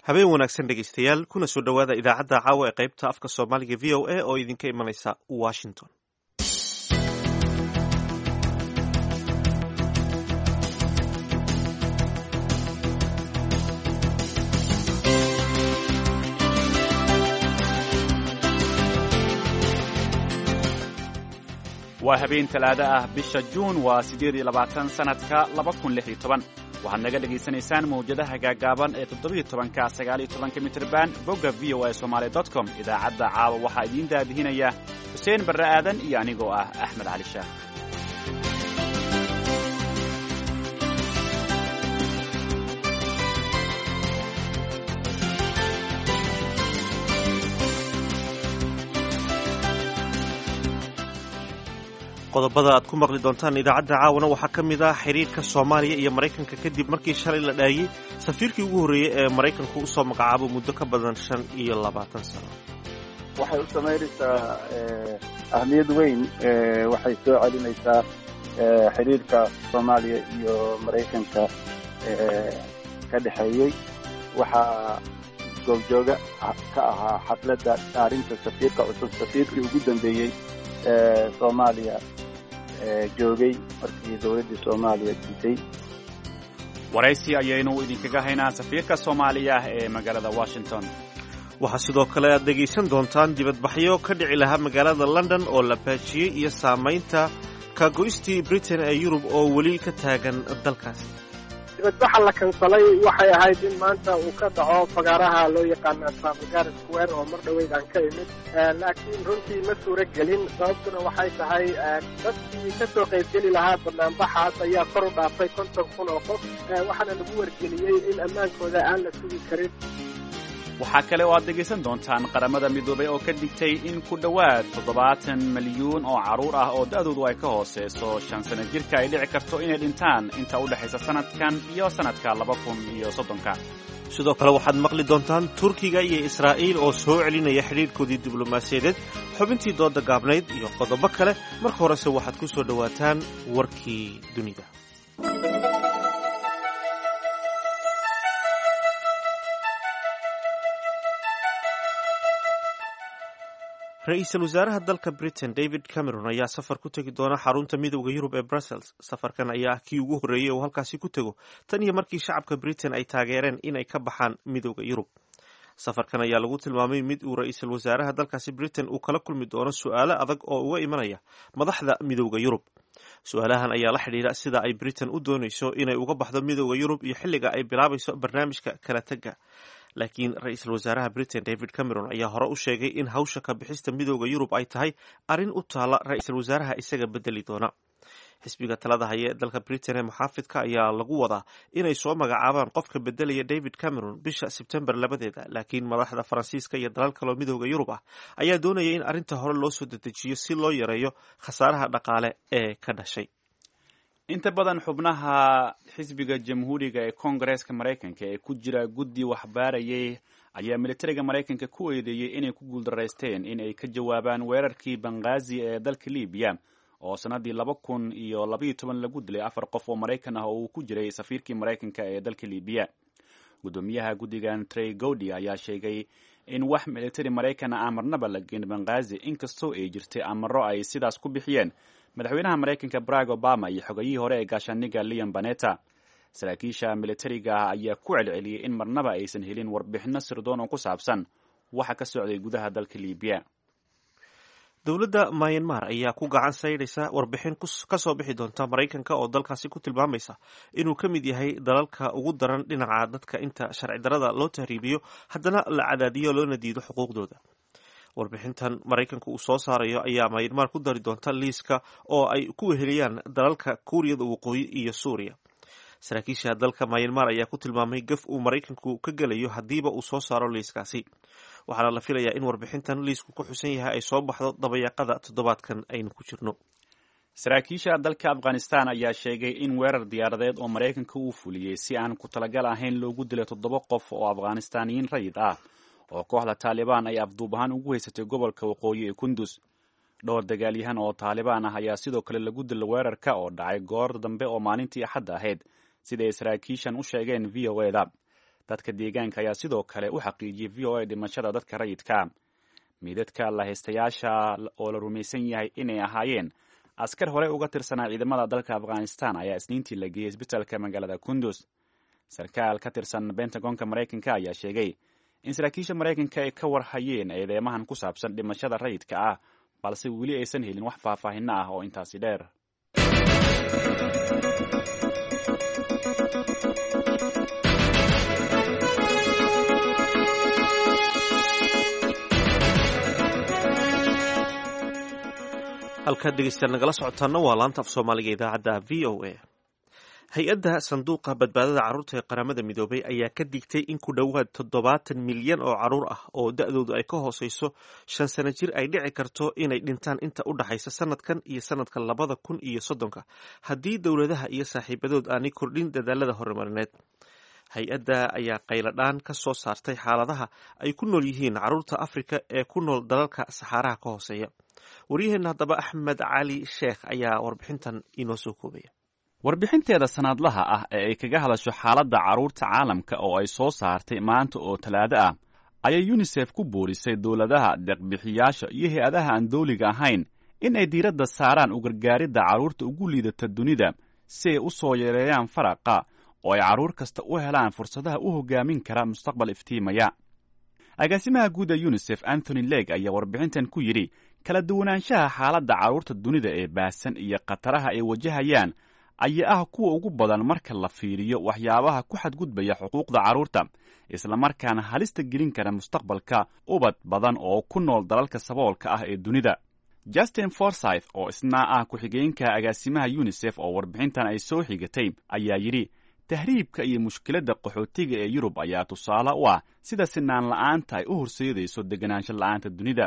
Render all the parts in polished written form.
Habeen wanaagsan, dhegeystayaal, kuna soo dhowaada idaacadda caawa ee qaybta afka Soomaaliga VOA oo idinka imanaysa Washington. Waa habeen Talaado ah, bisha Juun waa 28, sanadka 2016. Waxaad naga dhegaysanaysaan mawjadaha gaagaaban ee 17-ka, 19-ka mitrban, bogga voasomali.com. Idaacadda caawa waxaa idiin daadihinaya Xuseen Barre Aadan iyo anigoo ah Axmed Cali Shaah. Qodobada aad ku maqli doontaan idaacadda caawana waxaa ka mid ah xiriirka Soomaaliya iyo Maraykanka kadib markii shalay la dhaayey safiirkii ugu horreeyey ee Maraykanku usoo magacaabo muddo ka badan 25 sano. Waxay u samaynaysaa ahmiyad weyn, waxay soo celinaysaa xiriirka Soomaaliya iyo Maraykanka ka dhexeeyey. Waxaa goobjooga ka ahaa xafladda dhaarinta safiirka cusub safiirkii ugu dambeeyey Soomaaliya joogay markii dowladdii Soomaaliya diiday. Waraysi ayaynu idinkaga haynaa safiirka Soomaaliya ee magaalada Washington. Waxaa sidoo kale aad dhegaysan doontaan dibadbaxyo ka dhici lahaa magaalada London oo la baajiyey iyo saamaynta kagoystii Britain ee Yurub oo weli ka taagan dalkaasi. Dibadbaxa la kansalay waxay ahayd in maanta uu ka dhaco fagaaraha loo yaqaana Trafalgar Square oo mar dhoweyd aan ka imid, laakiin runtii ma suuro gelin. Sababtuna waxay tahay dadkii ka soo qaybgeli lahaa banaanbaxaas ayaa kor u dhaafay 50,000 oo qof, waxaana lagu wargeliyey in ammaankooda aan la sugi karin. Waxaa kale oo aad dhegaysan doontaan Qaramada Midoobay oo ka digtay in ku dhowaad 70 malyuun oo carruur ah oo da'doodu ay ka hooseyso 5 sano jirka ay dhici karto inay dhintaan inta u dhexaysa sanadkan iyo sanadka 2030-ka. Sidoo kale waxaad maqli doontaan Turkiga iyo Israa'iil oo soo celinaya xidhiirhkoodii diblomaasiyadeed, xubintii dooda gaabnayd iyo qodobo kale. Marka horese waxaad ku soo dhowaataan warkii dunida. Ra-iisul wasaaraha dalka Britain David Cameron ayaa safar ku tegi doona xarunta Midowda Yurub ee Brussels. Safarkan ayaa ah kii ugu horreeyey uu halkaasi ku tego tan iyo markii shacabka Britain ay taageereen inay ka baxaan Midowda Yurub. Safarkan ayaa lagu tilmaamay mid uu ra-iisul wasaaraha dalkaasi Britain uu kala kulmi doono su-aalo adag oo uga imanaya madaxda Midowda Yurub. Su-aalahan ayaa la xidhiidha sida ay Britain u doonayso inay uga baxdo Midowda Yurub iyo xilliga ay bilaabayso barnaamijka kala tagga. Laakiin ra-iisul wasaaraha Britain David Cameron ayaa hore u sheegay in hawsha ka bixista Midowda Yurub ay tahay arrin u taala ra-iisul wasaaraha isaga bedeli doona. Xisbiga talada haya ee dalka Britain ee Muxaafidka ayaa lagu wadaa inay soo magacaabaan qofka bedelaya David Cameron bisha Sebtembar 2-deeda, laakiin madaxda Faransiiska iyo dalal kaloo Midowda Yurub ah ayaa doonaya in arrinta hore loo soo dedejiyo si loo yareeyo khasaaraha dhaqaale ee ka dhashay. Inta badan xubnaha xisbiga Jamhuuriga ee Koongareeska Maraykanka ee ku jira guddi waxbaarayay ayaa militariga Maraykanka ku eedeeyey inay ku guuldaraysteen in ay ka jawaabaan weerarkii Banghaazi ee dalka Libiya oo sannaddii 2012 lagu dilay afar qof oo Maraykan ah oo uu ku jiray safiirkii Maraykanka ee dalka Libiya. Guddoomiyaha guddigan Trey Gowdy ayaa sheegay in wax militari Maraykan ah marnaba la geyn Banghaazi, inkastoo ay jirtay amaro ay sidaas ku bixiyeen madaxweynaha Maraykanka Barack Obama iyo xogayihii hore ee gaashaaniga Leon Panetta. Saraakiisha militariga ah ayaa ku celceliyey in marnaba aysan helin warbixino sirdoon oo ku saabsan waxa ka socday gudaha dalka Libiya. Dowladda Myanmar ayaa ku gacan saydhaysa warbixin ka soo bixi doonta Maraykanka oo dalkaasi ku tilmaamaysa inuu ka mid yahay dalalka ugu daran dhinaca dadka inta sharci darada loo tahriibiyo haddana la cadaadiyo loona diido xuquuqdooda. Warbixintan Maraykanka uu soo saarayo ayaa Myanmar ku dari doonta liiska oo ay ku weheliyaan dalalka Kuuriyada Waqooyi iyo Suuriya. Saraakiisha dalka Myanmar ayaa ku tilmaamay gaf uu Maraykanku ka gelayo haddiiba uu soo saaro liiskaasi, waxaana la filayaa in warbixintan liisku ku xusan yahay ay soo baxdo dabayaaqada toddobaadkan aynu ku jirno. Saraakiisha dalka Afghanistan ayaa sheegay in weerar diyaaradeed oo Maraykanka uu fuliyey si aan ku talagal ahayn loogu dilay toddoba qof oo Afghanistaaniyiin rayid ah oo kooxda Taalibaan ay afduub ahaan ugu haysatay gobolka waqooyi ee Kundus. Dhowr dagaalyahan oo Taalibaan ah ayaa sidoo kale lagu dilay weerarka oo dhacay goor dambe oo maalintii Axadda ahayd, sida ay saraakiishan u sheegeen VOA-da. Dadka deegaanka ayaa sidoo kale u xaqiijiyey v o a dhimashada dadka rayidka. Meydadka lahaystayaasha oo la rumaysan yahay inay ahaayeen askar horey uga tirsanaa ciidamada dalka Afghanistan ayaa Isniintii la geeyey isbitaalka magaalada Kundus. Sarkaal ka tirsan Bentagonka Maraykanka ayaa sheegay in saraakiisha Maraykanka ay ka warhayeen eedeymahan ku saabsan dhimashada rayidka ah, balse weli aysan helin wax faahfaahinno ah oo intaasi dheer. Halkaad dhegeystayaal nagala socotaana waa laanta af Soomaaliga idaacadda v o a. Hay-adda sanduuqa badbaadada carruurta ee Qaramada Midoobay ayaa ka digtay in ku dhowaad 70 milyan oo carruur ah oo da-doodu ay ka hooseyso 5 sano jir ay dhici karto inay dhintaan inta u dhaxaysa sanadkan iyo sanadka 2030-ka haddii dowladaha iyo saaxiibadood aanay kordhin dadaalada horumarineed. Hay-adda ayaa qayladhaan ka soo saartay xaaladaha ay ku nool yihiin carruurta Afrika ee ku nool dalalka Saxaaraha ka hooseeya. Waryaheenna haddaba Axmed Cali Sheekh ayaa warbixintan inoo soo koobaya. Warbixinteeda sanadlaha ah ee ay kaga hadasho xaaladda carruurta caalamka oo ay soo saartay maanta oo Talaado ah ayay UNISEF ku boorisay dowladaha, deeqbixiyaasha iyo hay-adaha aan dawliga ahayn in ay diiradda saaraan u gargaaridda carruurta ugu liidata dunida si ay u soo yareeyaan faraqa oo ay carruur kasta u helaan fursadaha u hoggaamin kara mustaqbal iftiimaya. Agaasimaha guud ee UNISEF Anthony Lake ayaa warbixintan ku yidhi: "Kala duwanaanshaha xaaladda carruurta dunida ee baahsan iyo khataraha ay wajahayaan ayaa ah kuwa ugu badan marka la fiiriyo waxyaabaha ku xadgudbaya xuquuqda carruurta, islamarkaana halista gelin kara mustaqbalka ubad badan oo ku nool dalalka saboolka ah ee dunida." Justin Forsyth oo isna ah ku-xigeenka agaasimaha UNISEF oo warbixintan ay soo xigatay ayaa yidhi: "Tahriibka iyo mushkiladda qaxootiga ee Yurub ayaa tusaale u ah sida sinaan la'aanta ay u horseedayso deganaansho la'aanta dunida."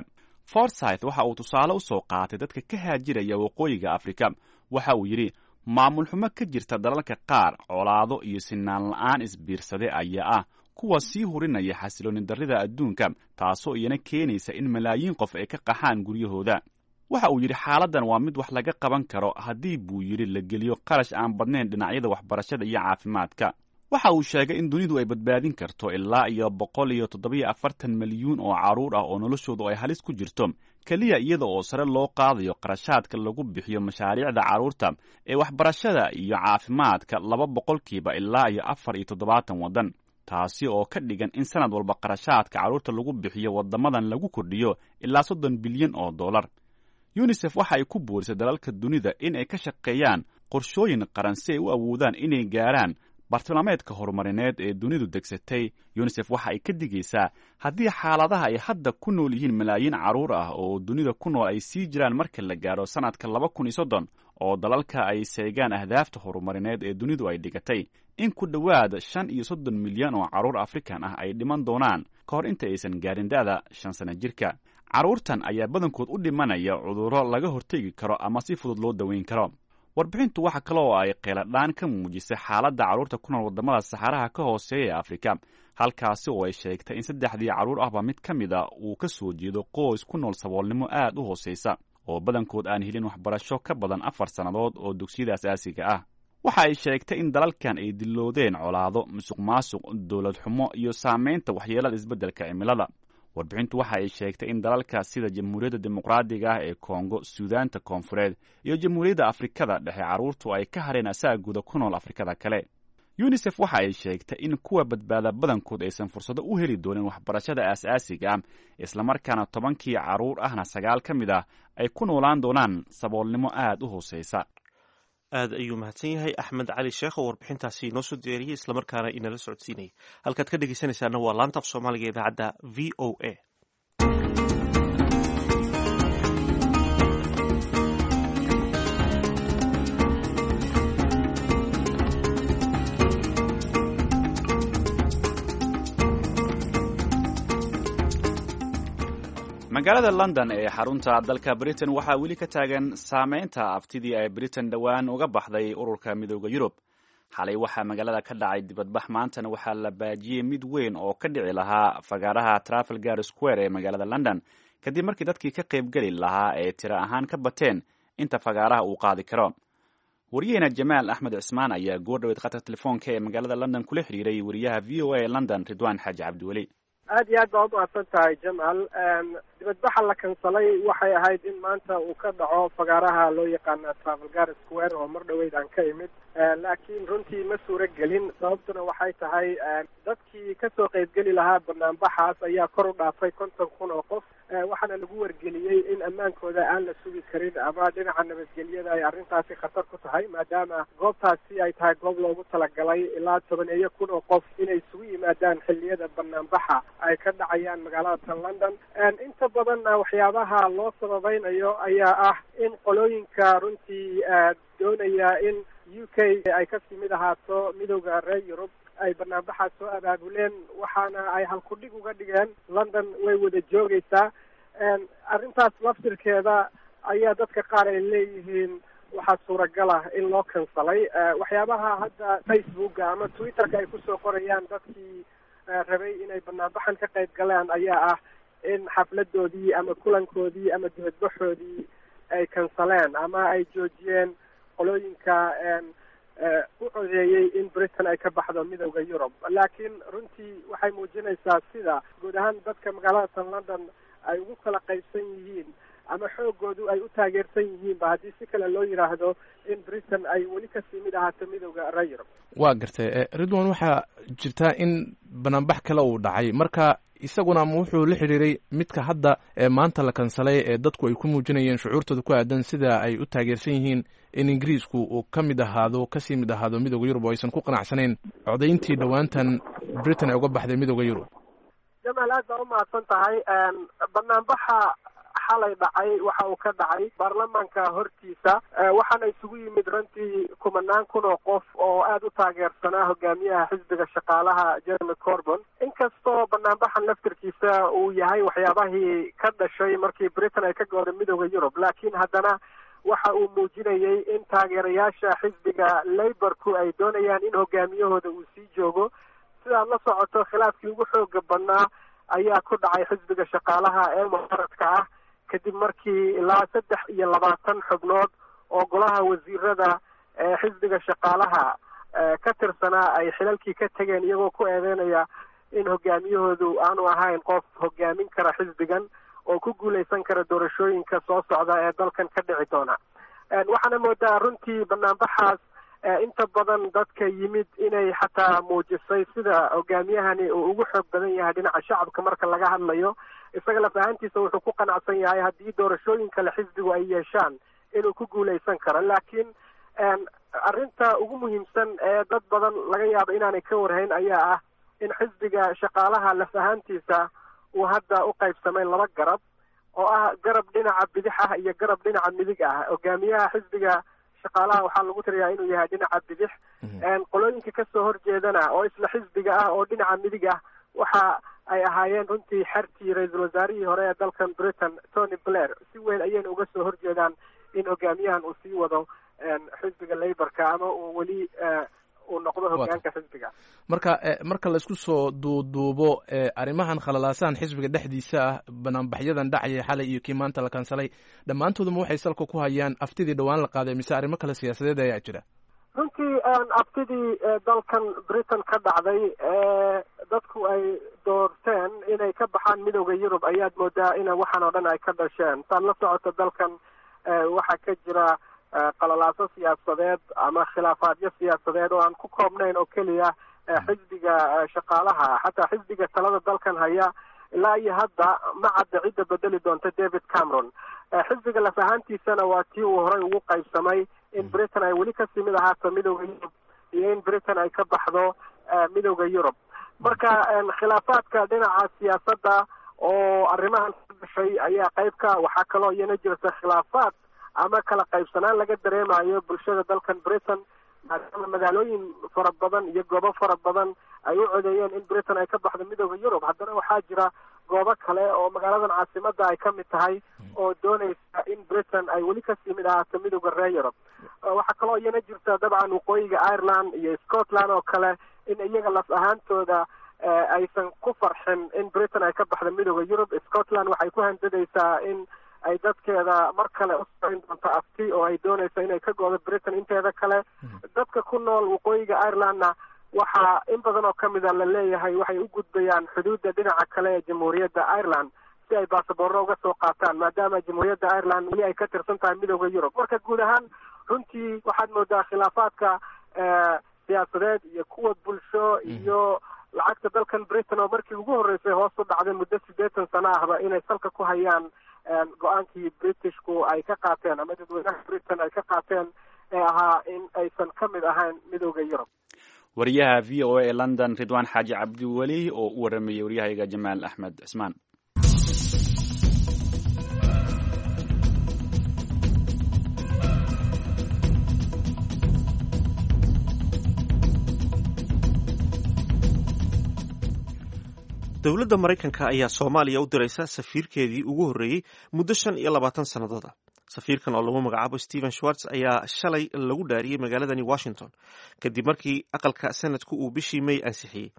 Forsyth waxa uu tusaale u soo qaatay dadka ka haajiraya waqooyiga Afrika. Waxa uu yidhi: "Maamul xumo ka jirta dalalka qaar, colaado iyo sinaan la'aan isbiirsade ayaa ah kuwa sii hurinaya xasilooni darrida adduunka, taasoo iyana keenaysa in malaayiin qof ay ka qaxaan guryahooda." Waxa uu yidhi: "Xaaladdan waa mid wax laga qaban karo haddii," buu yidhi, "la geliyo qarash aan badnayn dhinacyada waxbarashada iyo caafimaadka." Waxa uu sheegay in dunidu ay badbaadin karto ilaa iyo 147 milyuun oo carruur ah oo noloshoodu ay halis ku jirto, keliya iyada oo sare loo qaadayo qarashaadka lagu bixiyo mashaariicda carruurta ee waxbarashada iyo caafimaadka 2% ilaa iyo 74 waddan, taasi oo ka dhigan in sanad walba qarashaadka carruurta lagu bixiyo waddamadan lagu kordhiyo ilaa 30 bilyan oo dollar. UNISEF waxa ay ku boorisay dalalka dunida in ay ka shaqeeyaan qorshooyin qaran si ay u awoodaan inay gaaraan bartilmaameedka horumarineed ee dunidu degsatay. UNISEF waxa ay ka digaysaa haddii xaaladaha ay hadda ku nool yihiin malaayiin carruur ah oo dunida ku nool ay sii jiraan marka la gaaro sanadka 2030 oo dalalka ay seegaan ahdaafta horumarineed ee dunidu ay dhigatay, in ku dhowaad 35 milyan oo carruur Afrikan ah ay dhiman doonaan ka hor inta aysan gaarin da'da 5 sana jirka. Carruurtan ayaa badankood u dhimanaya cudurro laga hortegi karo ama si fudud loo daweyn karo. Warbixintu waxa kale oo ay qeeladhaan ka muujisay xaaladda carruurta ku nool waddamada Saxaraha ka hooseeya ee Afrika, halkaasi oo ay sheegtay in saddexdii carruur ahba mid ka mid a uu ka soo jeedo qoys ku nool saboolnimo aad u hooseysa oo badankood aan helin waxbarasho ka badan 4 sannadood oo dugsiyada asaasiga ah. Waxa ay sheegtay in dalalkan ay diloodeen colaado, musuq maasuq, dowlad xumo iyo saamaynta waxyeelada isbeddelka cimilada. Warbixintu waxa ay sheegtay in dalalka sida Jamhuuriyadda Dimuqraadiga ah ee Kongo, Suudaanta Koonfureed iyo Jamhuuriyadda Afrikada Dhexe carruurtu ay ka hareen asaagooda ku nool Afrikada kale. UNISEF waxa ay sheegtay in kuwa badbaada badankood aysan fursado u heli doonin waxbarashada aasaasiga ah, islamarkaana 10-kii carruur ahna sagaal ka mid ah ay ku noolaan doonaan saboolnimo aad u hooseysa. Aad ayuu mahadsan yahay Axmed Cali Sheekh oo warbixintaasi inoo soo diyaariyey islamarkaana inala socodsiinayay. Halkaad ka dhegeysanaysaana waa laanta af Soomaaliga idaacadda v o a. Magaalada London ee xarunta dalka Britain waxaa weli ka taagan saameynta aftidii ay Britain dhowaan uga baxday ururka Midooda Yurub. Xalay waxaa magaalada ka dhacay dibadbax, maantana waxaa la baajiyey mid weyn oo ka dhici lahaa fagaaraha Trafalgar Square ee magaalada London, kadib markii dadkii ka qaybgeli lahaa ee tiro ahaan ka bateen inta fagaaraha uu qaadi karo. Wariyaheena Jamaal Axmed Cismaan ayaa goor dhaweed khadka telefoonka ee magaalada London kula xiriiray wariyaha VOA ee London, Ridwaan Xaaji Cabdiweli. Aad iyo aad baa umahadsan tahay, Jamal. Dibadbaxa la kansalay waxay ahayd in maanta uu ka dhaco fagaaraha loo yaqaana Trafalgar Square oo mar dhaweyd aan ka imid, laakiin runtii ma suuro gelin. Sababtuna waxay tahay dadkii kasoo qaybgeli lahaa banaanbaxaas ayaa kor u dhaafay 50,000 oo qof, waxaana lagu wargeliyey in ammaankooda aan la sugi karin ama dhinaca nabadgelyada ay arrintaasi khatar ku tahay, maadaama goobtaasi ay tahay goob loogu talagalay ilaa 10,000 oo qof inay isugu yimaadaan xilliyada banaanbaxa ay ka dhacayaan magaalada tan London. Inta badanna waxyaabaha loo sababaynayo ayaa ah in qolooyinka runtii doonaya in UK ay kasii mid ahaato midowda reer Yurub ay banaanbaxaas soo abaabuleen, waxaana ay halkudhig uga dhigeen "London way wada joogaysaa". Arrintaas laftirkeeda ayaa dadka qaar ay leeyihiin waxaa suuragal ah in loo kansalay. Waxyaabaha hadda Facebooka ama Twitterka ay kusoo qorayaan dadkii rabay inay banaanbaxan ka qayb galaan ayaa ah in xafladoodii ama kulankoodii ama dibadbaxoodii ay kansaleen ama ay joojiyeen qolooyinka u codeeyey in Britain ay ka baxdo midowda Yurub. Laakiin runtii waxay muujinaysaa sida guud ahaan dadka magaalada tan London ay ugu kala qaybsan yihiin ama xoogoodu ay u taageersan yihiinba, haddii si kale loo yidhaahdo, in Britain ay weli kasii mid ahaato midowda reer Yurub. Waa gartay, Ridwan. Waxaa jirta in banaanbax kale uu dhacay, marka isaguna ma wuxuu la xidhiiray midka hadda ee maanta la kansalay ee dadku ay ku muujinayeen shucuurtooda ku aadan sida ay u taageersan yihiin in Ingiriisku uu ka mid ahaado, kasii mid ahaado midowda Yurub, oo aysan ku qanacsanayn codayntii dhowaantan Britain ay uga baxday midowda Yurub? Jamaal, aad baa umahadsan tahay. Banaanbaxa xalay dhacay waxa uu ka dhacay baarlamaanka hortiisa, waxaana isugu yimid runtii kumanaan kun oo qof oo aada u taageersanaa hogaamiyaha xisbiga shaqaalaha, Jeremy Corbyn. Inkastoo banaanbaxan laftirkiisa uu yahay waxyaabahii ka dhashay markii Britain ay ka gooday midowda Yurub, laakiin haddana waxa uu muujinayey in taageerayaasha xisbiga Labourku ay doonayaan in hogaamiyahooda uu sii joogo. Sidaad la socoto, khilaafkii ugu xooga badnaa ayaa ku dhacay xisbiga shaqaalaha ee mucaaradka ah, kadib markii ilaa 23 xubnood oo golaha wasiirada ee xisbiga shaqaalaha ka tirsanaa ay xilalkii ka tegeen, iyagoo ku eedeynaya in hogaamiyahoodu aanu ahayn qof hogaamin kara xisbigan oo ku guuleysan kara doorashooyinka soo socda ee dalkan ka dhici doona. Waxaana moodaa runtii banaanbaxaas inta badan dadka yimid inay xataa muujisay sida hogaamiyahani uu ugu xoog badan yahay dhinaca shacabka marka laga hadlayo. Isaga laf ahaantiisa wuxuu ku qanacsan yahay haddii doorashooyin kale xisbigu ay yeeshaan inuu ku guuleysan karo. Laakiin arrinta ugu muhiimsan ee dad badan laga yaabo inaanay ka warhayn ayaa ah in xisbiga shaqaalaha laf ahaantiisa uu hadda u qaybsamay laba garab, oo ah garab dhinaca bidix ah iyo garab dhinaca midig ah. Hogaamiyaha xisbiga shaqaalaha waxaa lagu tiriyaa inuu yahay dhinaca bidix. Qolooyinka kasoo horjeedana oo isla xisbiga ah oo dhinaca midig ah waxa ay ahaayeen runtii xertii ra-iisul wasaarihii hore ee dalkan Britain, Tony Blair. Si weyn ayayna uga soo horjeedaan in hogaamiyahan uu sii wado xisbiga Labourka ama uu weli uu noqdo hogaanka xisbiga. Marka marka laisku soo duuduubo arrimahan khalalaasahan xisbiga dhexdiisa ah, banaanbaxyadan dhacaya xalay iyo kii maanta la kansalay, dhammaantooduma waxay salka ku hayaan aftidii dhowaan la qaaday, mise arrimo kale siyaasadeed ayaa jira? Runtii aftidii dalkan Britain ka dhacday ee dadku ay doorteen inay ka baxaan midowda Yurub ayaad moodaa ina waxaan oo dhan ay ka dhasheen. Saad la socoto, dalkan waxaa ka jira qalalaaso siyaasadeed ama khilaafaadyo siyaasadeed oo aan ku koobnayn oo keliya xisbiga shaqaalaha. Xataa xisbiga talada dalkan haya ilaa iyo hadda ma cadda cidda bedeli doonta David Cameron. Xisbiga laf ahaantiisana waa tii uu horey ugu qaybsamay in Britain ay weli kasii mid ahaato midowda Yurub iyo in Britain ay ka baxdo midowda Yurub. Marka khilaafaadka dhinaca siyaasadda oo arrimahan ka dhashay ayaa qayb ka. Waxaa kaloo iyana jirta khilaafaad ama kala qaybsanaan laga dareemayo bulshada dalkan Britain, maadaama magaalooyin fara badan iyo goobo fara badan ay u codeeyeen in Britain ay ka baxdo midowda Yurub. Haddana waxaa jira goobo kale oo magaaladan caasimada ay ka mid tahay oo doonaysa in Britain ay weli kasii mid ahaato midowda reer Yurub. Waxaa kaloo iyana jirta dabcan waqooyiga Ireland iyo Scotland oo kale in iyaga laf ahaantooda aysan ku farxin in Britain ay ka baxdo midowda Yurub. Scotland waxay ku handadaysaa in ay dadkeeda mar kale u samayn doonto afti oo ay doonayso inay ka go'do Britain inteeda kale. Dadka ku nool waqooyiga Irelandna waxaa in badan oo kamid a la leeyahay waxay u gudbayaan xuduudda dhinaca kale ee Jamhuuriyadda Ireland si ay baasaboorro uga soo qaataan, maadaama Jamhuuriyadda Ireland weli ay ka tirsan tahay Midowda Yurub. Marka guud ahaan runtii waxaad moodaa khilaafaadka siyaasadeed iyo kuwa bulsho iyo lacagta dalkan Britain oo markii ugu horreysay hoos u dhacday muddo 80 sano ahba inay salka ku hayaan go-aankii Britishku ay ka qaateen ama dadweynaha Britain ay ka qaateen ee ahaa in aysan ka mid ahayn Midowda Yurub. Wariyaha VOA ee London, Ridwaan Xaaji Cabdiweli, oo u waramayay waryahayga Jamaal Axmed Cismaan. Dowladda Maraykanka ayaa Soomaaliya u diraysa safiirkeedii ugu horreeyey muddo 25 sannadood ah. Safiirkan oo lagu magacaabo Stephen Schwartz ayaa shalay lagu dhaariyey magaaladani Washington kadib markii aqalka Senatku uu bishii May ansixiyey.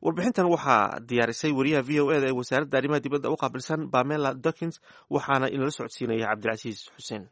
Warbixintan waxaa diyaarisay wariyaha VOA da ee wasaaradda arrimaha dibadda u qaabilsan, Pamela Dokins, waxaana inala socodsiinaya Cabdilcasiis Xuseen.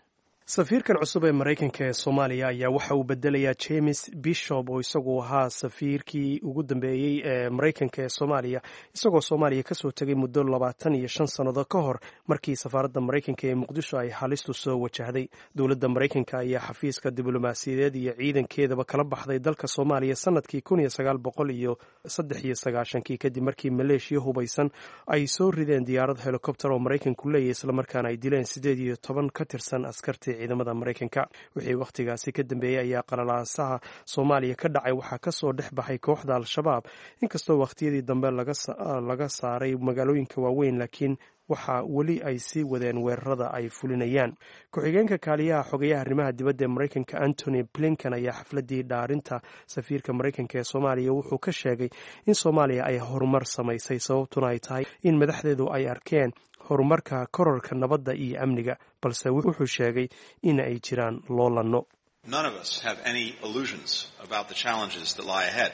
Safiirkan cusub ee Maraykanka ee Soomaaliya ayaa waxa uu bedelayaa James Bishop oo isagu ahaa safiirkii ugu dambeeyey ee Maraykanka ee Soomaaliya, isagoo Soomaaliya kasoo tegay muddo 25 sannadood ka hor markii safaaradda Maraykanka ee Muqdisho ay halistu soo wajahday. Dowladda Maraykanka ayaa xafiiska diblomaasiyadeed iyo ciidankeedaba kala baxday dalka Soomaaliya sanadkii 1993-kii, kadib markii maleeshiya hubaysan ay soo rideen diyaarad helikobter oo Maraykanku leeyahy, islamarkaana ay dileen 18 ka tirsan askartii ciidamada Maraykanka. Wixii wakhtigaasi ka dambeeyey ayaa qalalaasaha Soomaaliya ka dhacay waxaa kasoo dhex baxay kooxda Al-Shabaab, inkastoo wakhtiyadii dambe laga saaray magaalooyinka waaweyn, laakiin waxaa weli ay sii wadeen weerarada ay fulinayaan. Ku-xigeenka kaaliyaha xogayaha arrimaha dibadda ee Maraykanka, Antony Blinken, ayaa xafladii dhaarinta safiirka Maraykanka ee Soomaaliya wuxuu ka sheegay in Soomaaliya ay horumar samaysay, sababtuna ay tahay in madaxdeedu ay arkeen horumarka kororka nabadda iyo amniga, balse wuxuu sheegay in ay jiraan loolanno. None of us have any illusions about the challenges that lie ahead.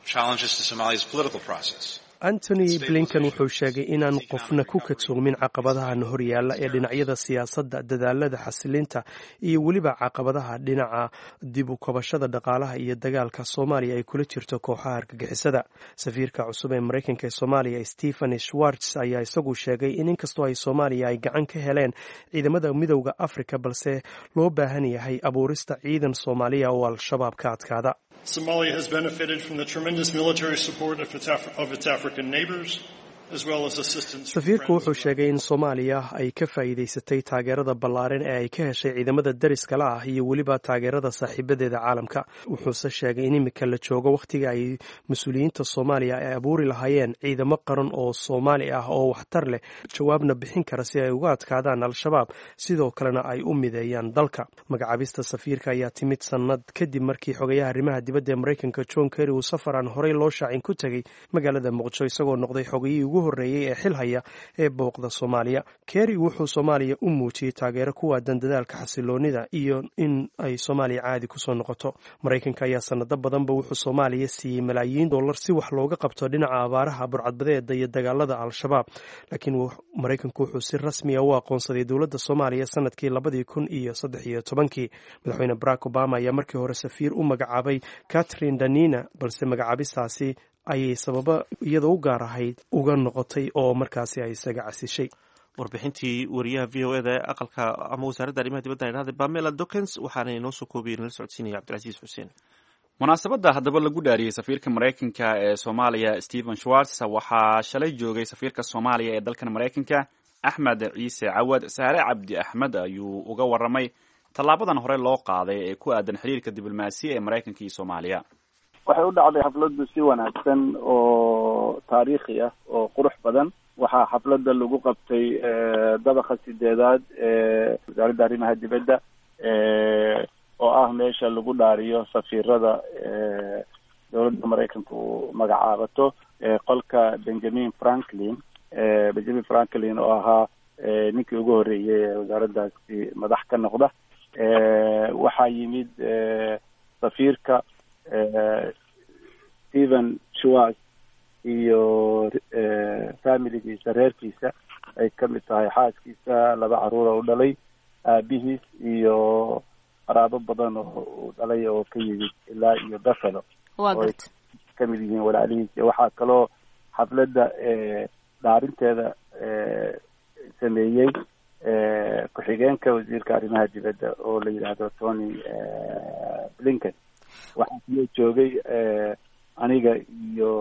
Challenges to Somalia's political process. Antony Blinken wuxuu sheegay inaan qofna ku kadsoomin caqabadahan horyaalla ee dhinacyada siyaasadda, dadaalada xasilinta iyo weliba caqabadaha dhinaca dib u kabashada dhaqaalaha iyo dagaalka Soomaaliya ay kula jirto kooxaha argagixisada. Safiirka cusub ee Maraykanka ee Soomaaliya, Stephen Schwartz, ayaa isagu sheegay in inkastoo ay Soomaaliya ay gacan ka heleen ciidamada Midowda Afrika, balse loo baahan yahay abuurista ciidan Soomaaliya oo Al-Shabaab ka adkaada. Somalia has benefited from the tremendous military support of its African neighbors, as well as assistance from Safiirku friends wuxuu sheegay in Soomaaliya ay ka faa'iidaysatay taageerada ballaaran ee ay ka heshay ciidamada dariska la ah iyo weliba taageerada saaxiibadeeda caalamka. Wuxuuse sheegay in imika la joogo wakhtiga ay mas-uuliyiinta Soomaaliya ay abuuri lahaayeen ciidamo qaran oo Soomaali ah oo waxtar leh, jawaabna bixin kara si ay uga adkaadaan Al-Shabaab, sidoo kalena ay u mideeyaan dalka. Magacaabista safiirka ayaa timid sannad kadib markii xogayaha arrimaha dibadda ee Maraykanka, John Kerry, uu safar aan horey loo shaacin ku tegey magaalada Muqdisho, isagoo noqday xogayihii ugu horreeyey ee xil haya ee booqda Soomaaliya. Kerry wuxuu Soomaaliya u muujiyey taageero ku waadan dadaalka xasiloonida iyo in ay Soomaaliya caadi kusoo noqoto. Maraykanka ayaa sanado badanba wuxuu Soomaaliya siiyey malaayiin dollar si wax looga qabto dhinaca abaaraha, burcadbadeeda iyo dagaalada Al-Shabaab, laakiin Maraykanku wuxuu si rasmiya u aqoonsaday dowladda Soomaaliya sanadkii 2013-kii. Madaxweyne Barack Obama ayaa markii hore safiir u magacaabay Catherine Danina, balse magacaabistaasi ayay sababo iyada u gaar ahayd uga noqotay oo markaasi ay isaga casishay. Warbixintii wariyaha VOA da ee aqalka ama wasaaradda arrimaha dibadda idhahda, Pamela Dokens, waxaana inoo soo koobiyey nala socodsiinaya Cabdilcasiis Xuseen. Munaasabadda haddaba lagu dhaariyey safiirka Maraykanka ee Soomaaliya, Stephen Schwartz, waxaa shalay joogay safiirka Soomaaliya ee dalkan Maraykanka, Axmed Ciise Cawad. Saare Cabdi Axmed ayuu uga warramay tallaabadan hore loo qaaday ee ku aadan xiriirka diblomaasiya ee Maraykanka iyo Soomaaliya. Waxay u dhacday xafladdu si wanaagsan oo taariikhi ah oo qurux badan. Waxaa xafladda lagu qabtay dabaqa sideedaad ee wasaaradda arrimaha dibadda, oo ah meesha lagu dhaariyo safiirada dowladda Maraykanka uu magacaabato, qolka Benjamin Franklin. Benjamin Franklin oo ahaa ninkii ugu horreeyey ee wasaaraddaasi madax ka noqda. Waxaa yimid safiirka Stephen Schwartz iyo familigiisa, reerkiisa. Ay ka mid tahay xaaskiisa, laba caruura u dhalay, aabihiis iyo qaraabo badan oo uu dhalay oo ka yimid ilaa iyo Buffalo, Waa garta. Ka mid yihiin walaalihiis. Waxaa kaloo xafladda dhaarinteeda sameeyey ku-xigeenka wasiirka arrimaha dibadda oo la yidhaahdo Tony Blinken. Waxaa kaloo joogay aniga iyo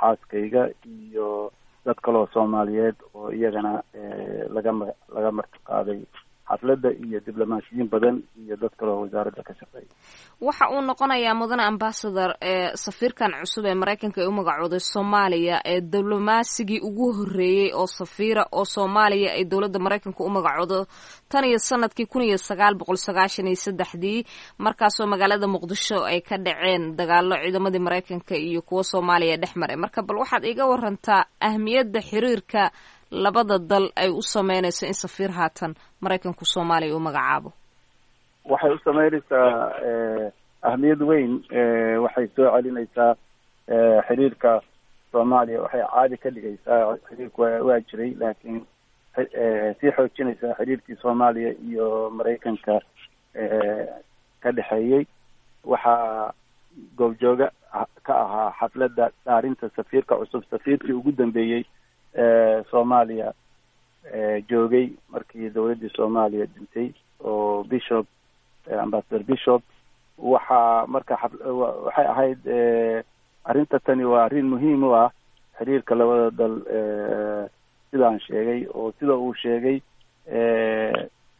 xaaskayga iyo dad kaloo Soomaaliyeed oo iyagana laga martiqaaday xafladda, iyo diblomaasiyiin badan iyo dad kaloo wasaaradda ka shaqeeya. Waxa uu noqonayaa, mudane ambassador, safiirkan cusub ee Maraykanka ay u magacooday Soomaaliya ee diblomasigii ugu horreeyey oo safiira oo Soomaaliya ay dowladda Maraykanka u magacoodo tan iyo sanadkii 1993-dii, markaasoo magaalada Muqdisho ay ka dhaceen dagaalo ciidamadii Maraykanka iyo kuwa Soomaaliya dhex maray. Marka bal waxaad iiga warantaa ahmiyadda xiriirka labada dal ay u sameynayso in safiir haatan Maraykanku Soomaaliya u magacaabo. Waxay u sameynaysaa ahmiyad weyn. Waxay soo celinaysaa xiriirka Soomaaliya, waxay caadi ka dhigaysaa xiriirku waa jiray, laakiin sii xoojinaysaa xiriirkii Soomaaliya iyo Maraykanka ka dhexeeyey. Waxaa goobjooga ka ahaa xafladda dhaarinta safiirka cusub safiirkii ugu dambeeyey Soomaaliya joogay markii dowladdii Soomaaliya dhintay, oo Bishop, Ambassador Bishop. Waxaa marka waxay ahayd arrinta tani waa arrin muhiim u ah xiriirka labada dal, sidaan sheegay oo sida uu sheegay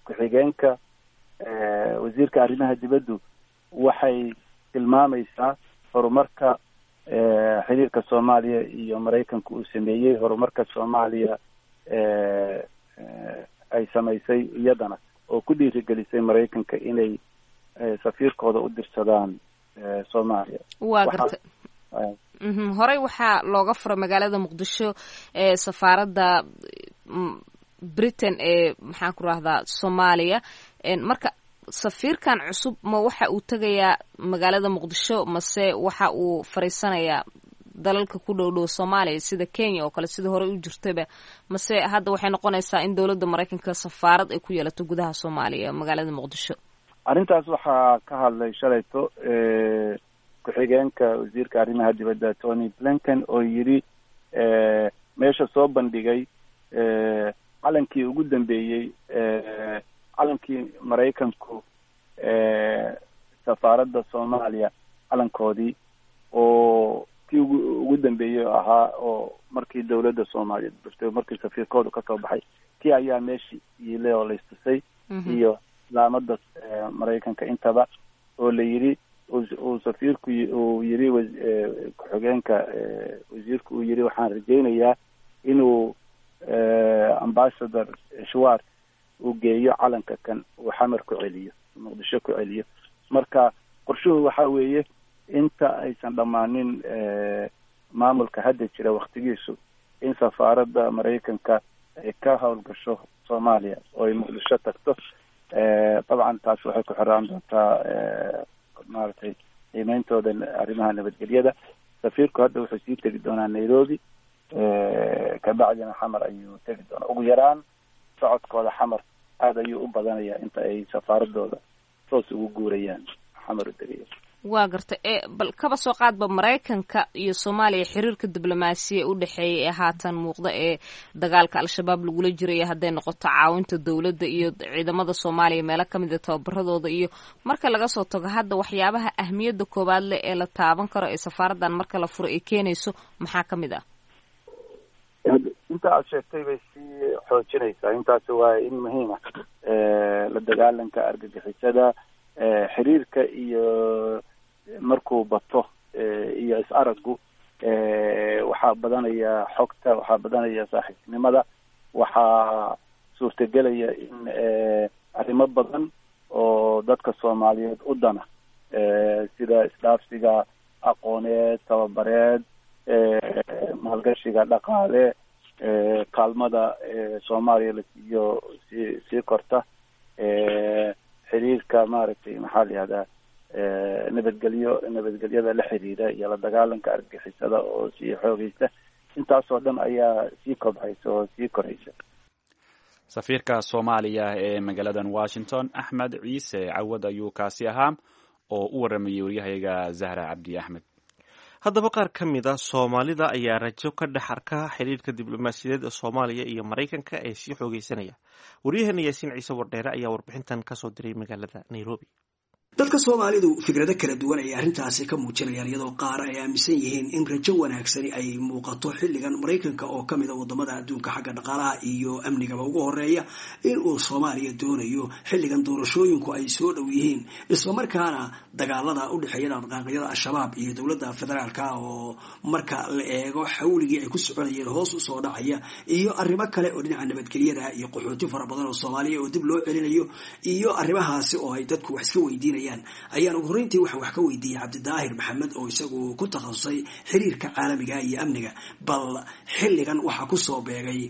ku-xigeenka wasiirka arrimaha dibaddu. Waxay tilmaamaysaa horumarka xiriirka Soomaaliya iyo Maraykanka uu sameeyey, horumarka Soomaaliya ay samaysay iyadana oo ku dhiirigelisay Maraykanka inay safiirkooda u dirsadaan Soomaaliya. Waa garta. Horey waxaa looga furay magaalada Muqdisho ee safaaradda Britain ee, maxaan ku rahdaa, Soomaaliya. Marka safiirkan cusub ma waxa uu tegayaa magaalada Muqdisho mase waxa uu fariisanayaa dalalka ku dhow dhow Soomaaliya sida Kenya oo kale, sida horey u jirtayba, mase hadda waxay noqonaysaa in dowladda Maraykanka safaarad ay ku yeelato gudaha Soomaaliya, magaalada Muqdisho? Arrintaas waxaa ka hadlay shalayto ku-xigeenka wasiirka arrimaha dibadda Tony Blinken, oo yidhi, meesha soo bandhigay calankii ugu dambeeyey, calankii Maraykanku, safaaradda Soomaaliya calankoodii oo kii ugu dambeeyey ahaa, oo markii dowladda Soomaaliyeed burtay, markii safiirkoodu kasoo baxay, kii ayaa meeshii yiile oo laistusay, iyo laamada Maraykanka intaba, oo la yidhi uu safiirku uu yidhi, ku-xigeenka wasiirku uu yidhi, waxaan rajaynayaa inuu Ambassador Schwartz uu geeyo calanka kan, uu Xamar ku celiyo, Muqdisho ku celiyo. Marka qorshuhu waxa weeye inta aysan dhammaanin maamulka hadda jira waktigiisu in safaaradda Maraykanka ay ka howlgasho Soomaaliya oo ay Muqdisho tagto. Dabcan taas waxay ku xiraan doontaa, maaragtay, qiimeyntooda arrimaha nabadgelyada. Safiirku hadda wuxuu sii tegi doonaa Nairobi, kabacdina Xamar ayuu tegi doonaa. Ugu yaraan socodkooda Xamar aada ayuu u badanayaa inta ay safaaradooda toos ugu guurayaan, Xamar u tegaya. Waa garta. E bal kaba soo qaadba Maraykanka iyo Soomaaliya xiriirka diblomaasiya u dhexeeya ee haatan muuqda ee dagaalka Al-Shabaab lagula jiraya, hadday noqoto caawinta dowladda iyo ciidamada Soomaaliya meelo kamid a tababaradooda, iyo marka laga soo tago hadda waxyaabaha ahmiyadda koowaad leh ee la taaban karo ee safaaraddan marka la furo ay keenayso, maxaa ka mid ah? Inta aad sheegtay bay sii xoojinaysaa. Intaasi waa in muhiim ah: la dagaalanka argagixisada, xiriirka iyo markuu bato iyo is-araggu, waxaa badanaya xogta, waxaa badanaya saaxiibtinimada, waxaa suurtagelaya in arrimo badan oo dadka Soomaaliyeed u dana, sida isdhaafsiga aqooneed, tababareed, maalgashiga dhaqaale, kaalmada Soomaaliya la siiyo sii korta, xiriirka, maaragtay, maxaa la yihahdaa, nabadgelyo, nabadgelyada la xiriira iyo la dagaalanka argagixisada oo sii xoogaysta, intaasoo dhan ayaa sii kobcaysa oo sii koraysa. Safiirka Soomaaliya ee magaaladan Washington, Axmed Ciise Cawad, ayuu kaasi ahaa oo u waramayay waryahayaga Zahra Cabdi Axmed. Haddaba qaar ka mid a Soomaalida ayaa rajo ka dhex arka xiriirka diblomaasiyadeed ee Soomaaliya iyo Maraykanka ee sii xoogeysanaya. Waryaheena Yaasiin Ciise Wardheere ayaa warbixintan kasoo diray magaalada Nairobi. Dadka Soomaalidu fikrado kala duwan ayay arrintaasi ka muujinayaan, iyadoo qaar ay aaminsan yihiin in rajo wanaagsani ay muuqato xilligan Maraykanka, oo ka mid a wadamada adduunka xagga dhaqaalaha iyo amnigaba ugu horeeya, in uu Soomaaliya doonayo xilligan doorashooyinku ay soo dhow yihiin, islamarkaana dagaalada u dhexeeya dhaqdhaqaaqyada Al-Shabaab iyo dowladda federaalka oo marka la eego xawligii ay ku soconayeen hoos usoo dhacaya, iyo arrimo kale oo dhinaca nabadgelyada iyo qaxooti fara badan oo Soomaaliya oo dib loo celinayo iyo arrimahaasi oo ay dadku wax iska weydiinayaan, ayaan ugu horreyntii waxaan wax ka weydiiyey Cabdidaahir Maxamed, oo isagu ku takhasusay xiriirka caalamiga iyo amniga, bal xilligan waxaa kusoo beegay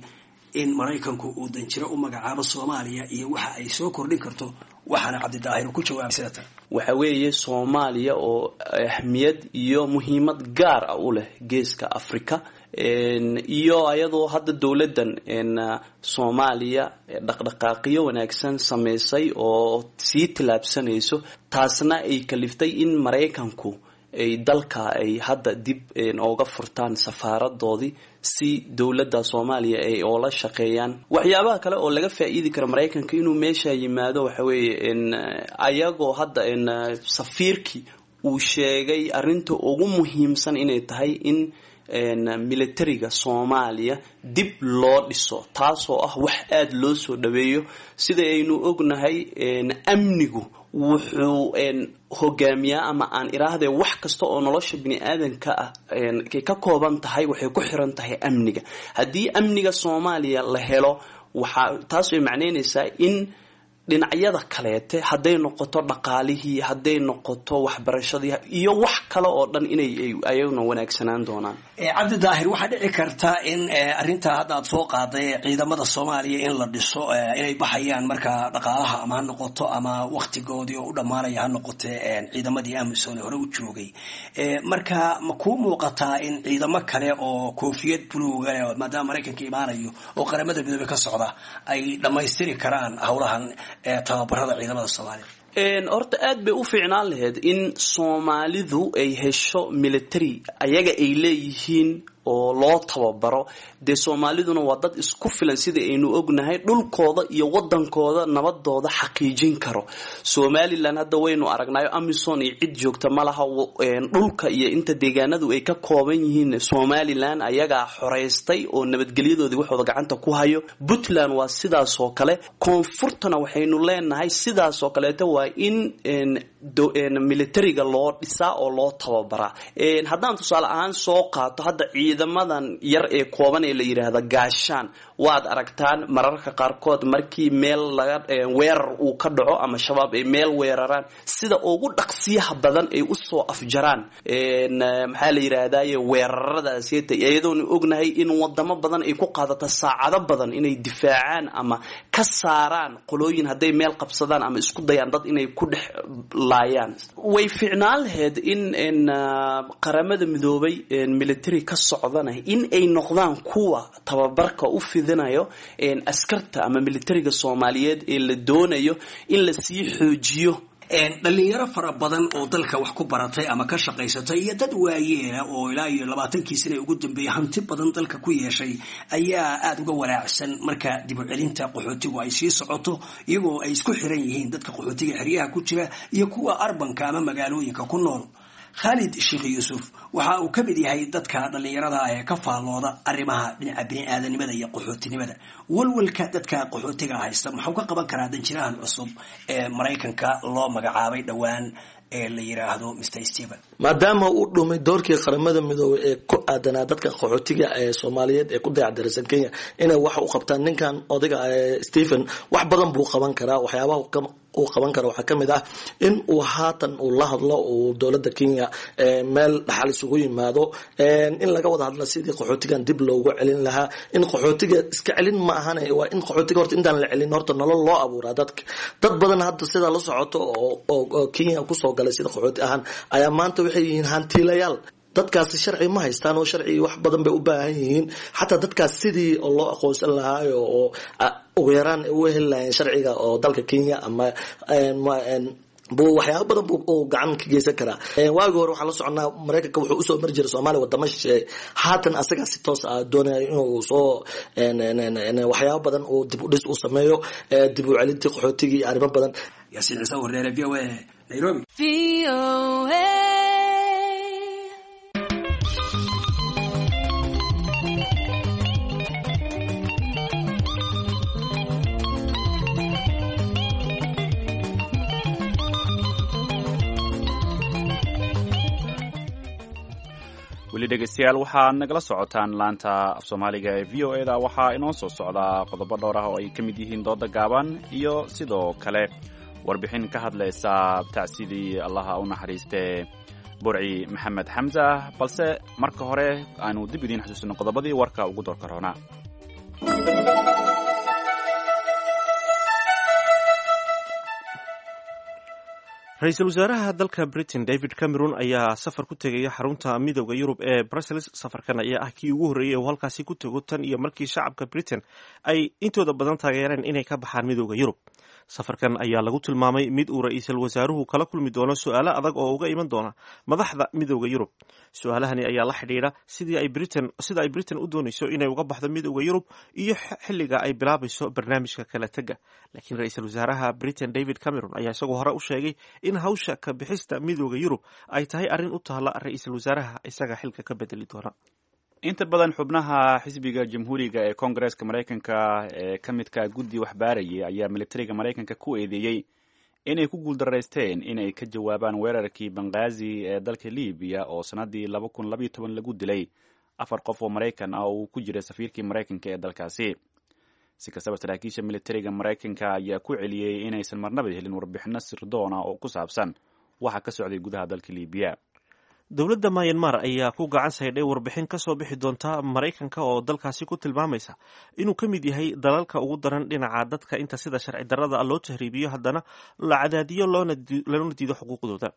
in Maraykanku uu danjiro u magacaabo Soomaaliya iyo waxa ay soo kordhin karto. Waxaana Cabdidaahir ku jawaabay sida tan. Waxa weeye Soomaaliya oo ahmiyad iyo muhiimad gaar ah u leh geeska Africa, iyo ayadoo hadda dowladdan Soomaaliya dhaqdhaqaaqiyo wanaagsan sameysay oo sii tillaabsanayso, taasna ay kaliftay in Maraykanku ay dalka ay hadda dib ooga furtaan safaaradoodii si dowladda Soomaaliya ay oola shaqeeyaan. Waxyaabaha kale oo laga faa-iidi karo Maraykanka inuu meesha yimaado waxa weeye ayagoo hadda safiirkii uu sheegay arrinta ugu muhiimsan inay tahay in militariga Soomaaliya dib loo dhiso, taasoo ah wax aada loo soo dhaweeyo. Sida aynu ognahay, amnigu wuxuu hogaamiyaa, ama aan iraahde, wax kasta oo nolosha bini aadanka ah ay ka kooban tahay waxay ku xiran tahay amniga. Haddii amniga Soomaaliya la helo, waxaa taas ay macneynaysaa in dhinacyada kaleete, hadday noqoto dhaqaalihii, hadday noqoto waxbarashadii iyo wax kale oo dhan, inay ayaguna wanaagsanaan doonaan. Cabdi Daahir, waxaa dhici karta in arrintaa hadda aad soo qaaday, ciidamada Soomaaliya in la dhiso, inay baxayaan marka dhaqaalaha ama ha noqoto ama waktigoodii oo u dhammaanaya ha noqote ciidamadii AMISOM hore u joogay. Marka ma kuu muuqataa in ciidamo kale oo koofiyad buluuga, maadaama Maraykanka imaanayo oo Qaramada Midoobey ka socda, ay dhammaystiri karaan howlahan tababarada ciidamada Soomaaliya? Horta aad bay u fiicnaan lahayd in Soomaalidu ay hesho military ayaga ay leeyihiin oo loo tababaro. Dee Soomaaliduna waa dad isku filan, sida aynu ognahay, dhulkooda iyo wadankooda nabadooda xaqiijin karo. Somaliland hadda waynu aragnaayo, AMISOM iyo cid joogta ma laha. Dhulka iyo inta deegaanadu ay ka kooban yihiin Somaliland ayagaa xoreystay oo nabadgelyadoodii waxooda gacanta ku hayo. Puntland waa sidaas oo kale. Koonfurtana waxaynu leenahay sidaas oo kaleeto waa in militariga loo dhisaa oo loo tababaraa. Haddaan tusaale ahaan soo qaato hadda ciidamadan yar ee kooban ee la yidhaahda Gaashaan, waad aragtaan mararka qaarkood markii meel laga weerar uu ka dhaco ama Shabaab ay meel weeraraan, sida ugu dhaqsiyaha badan ay usoo afjaraan, maxaa la yidhaahdaye, weeraradaaseta, iyadoonu ognahay in wadamo badan ay ku qaadato saacado badan inay difaacaan ama ka saaraan qolooyin hadday meel qabsadaan ama isku dayaan dad inay ku dhex laayaan. Way fiicnaan lahayd in Qaramada Midoobay military ka socdana in ay noqdaan kuwa tababarka u fidinayo askarta ama militariga Soomaaliyeed ee la doonayo in la sii xoojiyo. Dhalinyaro fara badan oo dalka wax ku baratay ama ka shaqaysatay iyo dad waayeela oo ilaa iyo 20kii sana ugu dambeeyay hanti badan dalka ku yeeshay ayaa aada uga walaacsan marka dib u celinta qaxootigu ay sii socoto, iyagoo ay isku xiran yihiin dadka qaxootiga xeryaha ku jira iyo kuwa urbanka ama magaalooyinka ku nool. Khaalid Sheekh Yuusuf waxa uu ka mid yahay dadka dhallinyarada ee ka faallooda arrimaha dhinaca bini-aadanimada iyo qaxootinimada. Walwalka dadka qaxootiga haysta muxuu ka qaban karaa danjirahan cusub ee Maraykanka loo magacaabay dhowaan ee la yiraahdo Mr Stephen? Maadaama uu dhumay doorkii Qaramada Midoobay ee ku aadanaa dadka qaxootiga ee Soomaaliyeed ee ku dayacdarsan Kenya inay wax u qabtaan, ninkan odayga Stephen wax badan buu qaban karaa. Waxyaabaha uu qaban karo waxaa kamid ah in uu haatan uu la hadlo uu dowladda Kenya, meel dhaxal isugu yimaado, in laga wada hadla sidii qaxootigan dib loogu celin lahaa. In qaxootiga iska celin ma ahane, waa in qaxootiga horta intaan la celin horta nolol loo abuuraa dadka. Dad badan hadda sidaa la socoto oo Kenya kusoo galay sida qaxooti ahaan ayaa maanta waxay yihiin hantiilayaal. Dadkaasi sharci ma haystaan oo sharci wax badan bay u baahan yihiin. Xataa dadkaas sidii loo aqoonsan lahaayo oo ugu yaraan u heli lahayeen sharciga oo dalka Kenya ama buu waxyaaba badan buu gacan ka geysan karaa. Waagii hore waxaan la soconaa Maraykanka wuxuu usoo mari jiray Soomaaliya wadamo shisheeye. Haatan asagaa si toos ah doonaya inuu soo waxyaaba badan uu dib u dhis u sameeyo, dib u celintii qaxootigii iyo arrimo badan. Yaasiin Ciise Wareere, V O A, Nairobi. Weli dhegeystayaal, waxaad nagala socotaan laanta af Soomaaliga ee V O E da. Waxaa inoo soo socdaa qodobo dhowr ah oo ay ka mid yihiin dooda gaaban iyo sidoo kale warbixin ka hadlaysa tacsidii Allaha u naxariistee Burci Maxamed Xamsa, balse marka hore aanu dib idiin xasuusino qodobadii warka ugu doorka roonaa. Ra-iisul wasaaraha dalka Britain David Cameron ayaa safar ku tegaya xarunta Midooda Yurub ee Brussels. Safarkan ayaa ah kii ugu horreeyey uu halkaasi ku tego tan iyo markii shacabka Britain ay intooda badan taageereen inay ka baxaan Midooda Yurub. Safarkan ayaa lagu tilmaamay mid uu ra-iisul wasaaruhu kala kulmi doono su-aalo adag oo uga iman doona madaxda Midooda Yurub. Su-aalahani ayaa la xidhiidha sidii ay Britain sida ay Britain u doonayso inay uga baxdo Midooda Yurub iyo xilliga ay bilaabayso barnaamijka kala tega. Laakiin ra-iisul wasaaraha Britain David Cameron ayaa isagoo hore u sheegay in hawsha ka bixista Midooda Yurub ay tahay arrin u taalla ra-iisul wasaaraha isaga xilka ka bedeli doona. Inta badan xubnaha xisbiga Jamhuuriga ee Koongareeska Maraykanka ee ka midka guddi waxbaarayay ayaa militariga Maraykanka ku eedeeyey inay ku guuldaraysteen inay ka jawaabaan weerarkii Banghaazi ee dalka Libiya oo sannaddii 2012 lagu dilay afar qof oo Maraykan ah oo uu ku jiray safiirkii Maraykanka ee dalkaasi. Si kastaba, saraakiisha militariga Maraykanka ayaa ku celiyey inaysan marnaba helin warbixino sirdoon ah oo ku saabsan waxa ka socday gudaha dalka Libiya. Dowladda Myanmar ayaa ku gacan saydhay warbixin ka soo bixi doonta Maraykanka oo dalkaasi ku tilmaamaysa inuu ka mid yahay dalalka ugu daran dhinaca dadka inta sida sharci darrada loo tahriibiyo, haddana la cadaadiyo loona diido xuquuqdooda.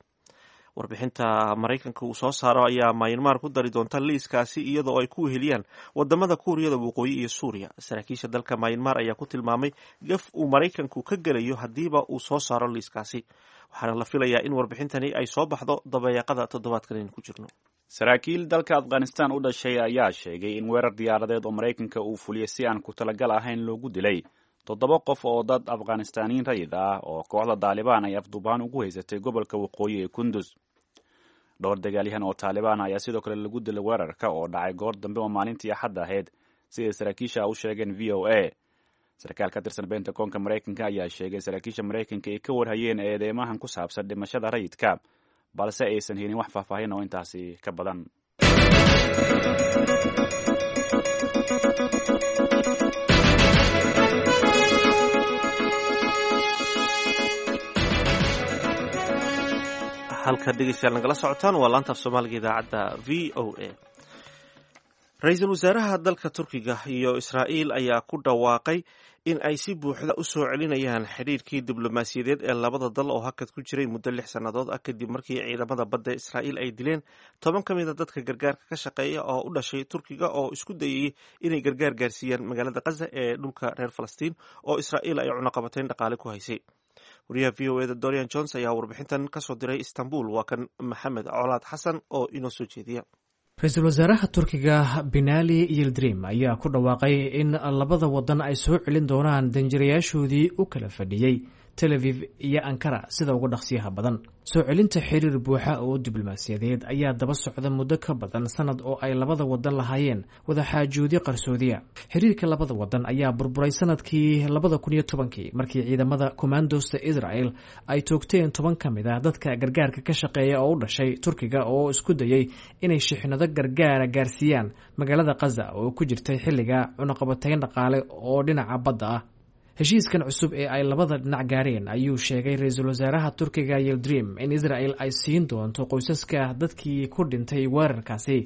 Warbixinta Maraykanka uu soo saaro ayaa Myanmar ku dari doonta liiskaasi, iyadoo ay ku weheliyaan wadamada Kuuriyada Waqooyi iyo Suuriya. Saraakiisha dalka Myanmar ayaa ku tilmaamay gaf uu Maraykanku ka gelayo haddiiba uu soo saaro liiskaasi, waxaana la filayaa in warbixintani ay soo baxdo dabayaaqada toddobaadkan aynu ku jirno. Saraakiil dalka Afghanistan u dhashay ayaa sheegay in weerar diyaaradeed oo Maraykanka uu fuliyey si aan ku talagal ahayn loogu dilay toddoba qof oo dad Afghanistaaniyiin rayid ah oo kooxda Daalibaan ay afduubaan ugu haysatay gobolka waqooyi ee Kundus. Dhowr dagaalyahan oo Taalibaan ayaa sidoo kale lagu dilay weerarka oo dhacay goor dambe oo maalintii Axadda ahayd, siday saraakiisha u sheegeen V O A. Sarkaal ka tirsan Bentagonka Maraykanka ayaa sheegay saraakiisha Maraykanka ay ka warhayeen eedeymahan ku saabsan dhimashada rayidka, balse aysan helin wax faahfaahin oo intaasi ka badan. Halka dhegeystayaal nagala socotaan waa laanta af Soomaaliga idaacadda V O A. Ra-iisul wasaaraha dalka Turkiga iyo Israa'iil ayaa ku dhawaaqay in ay si buuxda u soo celinayaan xidhiirkii diblomaasiyadeed ee labada dal oo hakad ku jiray muddo 6 sannadood ah, kadib markii ciidamada badda Israa'iil ay dileen 10 ka mid a dadka gargaarka ka shaqeeya oo u dhashay Turkiga oo isku dayayay inay gargaar gaarsiiyaan magaalada Qaza ee dhulka reer Falastiin oo Israa'iil ay cunaqabateyn dhaqaale ku haysay. Wariyaha V O E da Dorian Jones ayaa warbixintan kasoo diray Istanbul. Waa kan Maxamed Colaad Xasan oo inoo soo jeediya. Ra-iisul wasaaraha Turkiga Binali Yildirim ayaa ku dhawaaqay in labada wadan ay soo celin doonaan danjirayaashoodii u kala fadhiyey Tel Aviv iyo Ankara sida ugu dhaqsiyaha badan. Soo celinta xiriir buuxa oo diblomaasiyadeed ayaa daba socda muddo ka badan sanad oo ay labada wadan lahaayeen wadaxaajoodyo qarsoodiya. Xiriirka labada wadan ayaa burburay sanadkii 2010-kii markii ciidamada commandosta Israel ay toogteen 10 ka mid ah dadka gargaarka ka shaqeeya oo u dhashay Turkiga oo isku dayay inay shixnado gargaara gaarsiiyaan magaalada Qaza oo ku jirtay xilliga cunaqabatayn dhaqaale oo dhinaca badda ah. Heshiiskan cusub ee ay labada dhinac gaareen ayuu sheegay ra-iisul wasaaraha Turkiga Yildirim in Israel ay siin doonto qoysaska dadkii ku dhintay weerarkaasi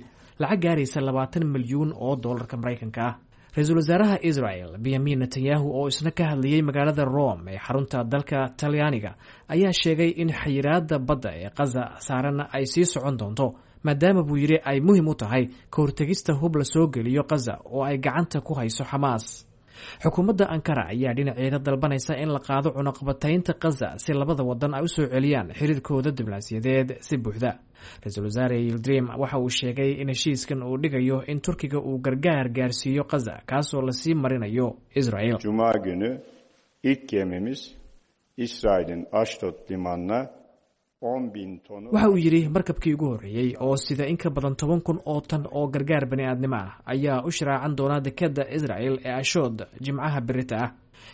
lacag gaaraysa 20 milyuun oo doolarka Maraykanka ah. Ra-iisul wasaaraha Israel Benyamin Netanyahu oo isna ka hadlayey magaalada Rome ee xarunta dalka Talyaaniga ayaa sheegay in xayiraada badda ee Qaza saaran ay sii socon doonto. maadaama buu yidhi ay muhiim u tahay ka hortegista hub la soo geliyo Khaza oo ay gacanta ku hayso Xamaas. Xukuumadda Ankara ayaa dhinaceeda dalbanaysa in la qaado cunaqabataynta Khaza si labada wadan ay u soo celiyaan xiriirkooda diblomaasiyadeed si buuxda. Ra-iisul wasaare Yildirim waxa uu sheegay in heshiiskan uu dhigayo in Turkiga uu gargaar gaarsiiyo Khaza, kaasoo lasii marinayo Israel. Cuma günü ilk gemimiz İsrail'in Ashdod limanına 10.000 tonu Waxa uu yidhi markabkii ugu horreeyey oo sida in ka badan 10,000 oo tan oo gargaar bani aadnimo ah ayaa u shiraacan doona dekadda Israel ee Ashood Jimcaha berita ah.